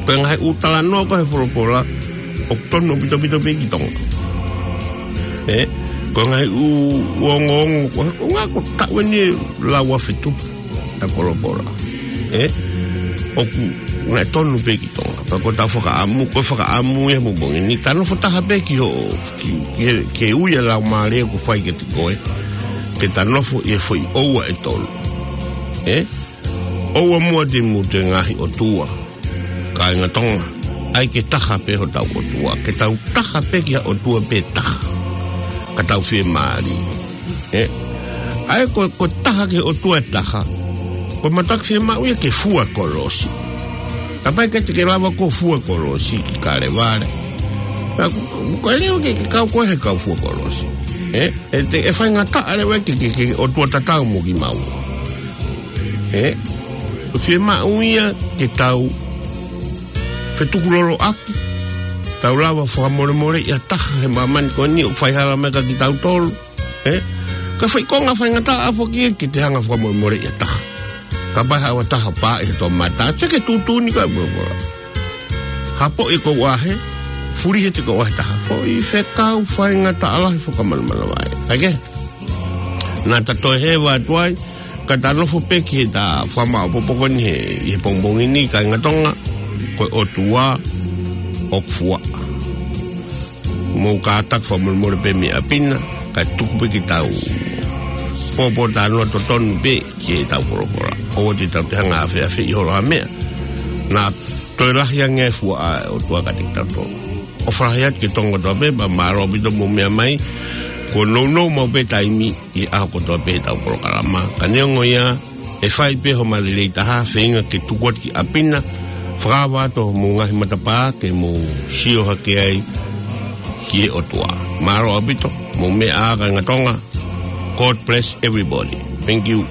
Ko e ngaahi ʻū talanoa ko ē he folofola, ʻoku tonu ʻaupito pē ki Tonga. Ē? Ko e ngaahi ʻū, ʻū ongoongo, ko, ko e ngaahi ko taʻu eni lau ʻa fetupu ʻa e polopola. Ē? ʻOku, naʻe tonu pē ki Tonga. Pea ko ʻetau fakaʻamu, ko e fakaʻamu ia mo bongi. Ni ta nofo taha pē ki hoʻo, ki, ki, ki he ui ʻa e laumālie ʻoku fai kiate koe. Ke ta nofo ʻi he foʻi ʻoua ʻe tolu. Ē? ʻOua muʻa te mou tui ki he ngaahi ʻotua. Kāinga Tonga, ʻai ke taha pē hotau ʻOtua, ke tau taha pē ki ha ʻOtua pē taha. Ka tau fiemālie. Ē? ʻAi ko, ko taha ki he ʻOtua ʻe taha. Ko e mātuʻaki fiemaʻu ia ke fua kolosi. Kapau ʻe ʻikai te ke lava ʻo fua kolosi ki Kalevale. Ka ko, ko, ko e leo ke, ke kau koe he kau fua kolosi. Ē? ʻE te, ʻe faingataʻa leva ke, ke, ke ʻOtua tatau mo kimaua. Ē, fiemaʻu ia ke tau fetukuloloʻaki, tau lava fakamolemoleʻi ha taha he māmani ko eni ʻoku faihala mai kia kitautolu. Ē, ka fai konga faingataʻa foki ia ke te hanga fakamolemoleʻi ha taha. Kapau ʻe haʻu ha taha pā ʻi he toʻomataʻu, te ke tuʻutuʻuni ka polopola. Hapoʻi ko ʻahe, fulihi ʻe he ko ʻahe taha. Foʻi fekau faingataʻa lahi fakamanamana vai. Kae kehe? Naʻa ta toe hē atu ai, ka ta nofo pē ki he ta fakamaʻopoʻopo ko eni he, ʻi he pongipongi ni kāinga Tonga, ko e ʻOtua ʻoku fua. Mou kātaki fakamolemole pē mei ʻapi na, kae tuku pē ke tau pōpōtalanoa totonu pē ki heʻetau polopola. ʻOua te tau te hanga ʻo afeʻafeʻi holo ha meʻa. Naʻa toe lahi ange e fua ʻa e ʻOtua kiate kitautolu. ʻOfa lahi atu ki Tonga kotoa pē, pea mālō ʻaupito mou meʻa mai, kuo nounou maʻu pē taimi ʻi he ʻaho kotoa pē ʻetau polokalama. Ka neongo ia, ʻe fai pē homa lelei taha, feinga ke tuku atu ki ʻapi na, fakaava atu homou ngaahi matapā, ke mou sio hake ai ki he ʻOtua. Mālō ʻaupito, mou meʻa ā kāinga Tonga. God bless everybody. Thank you.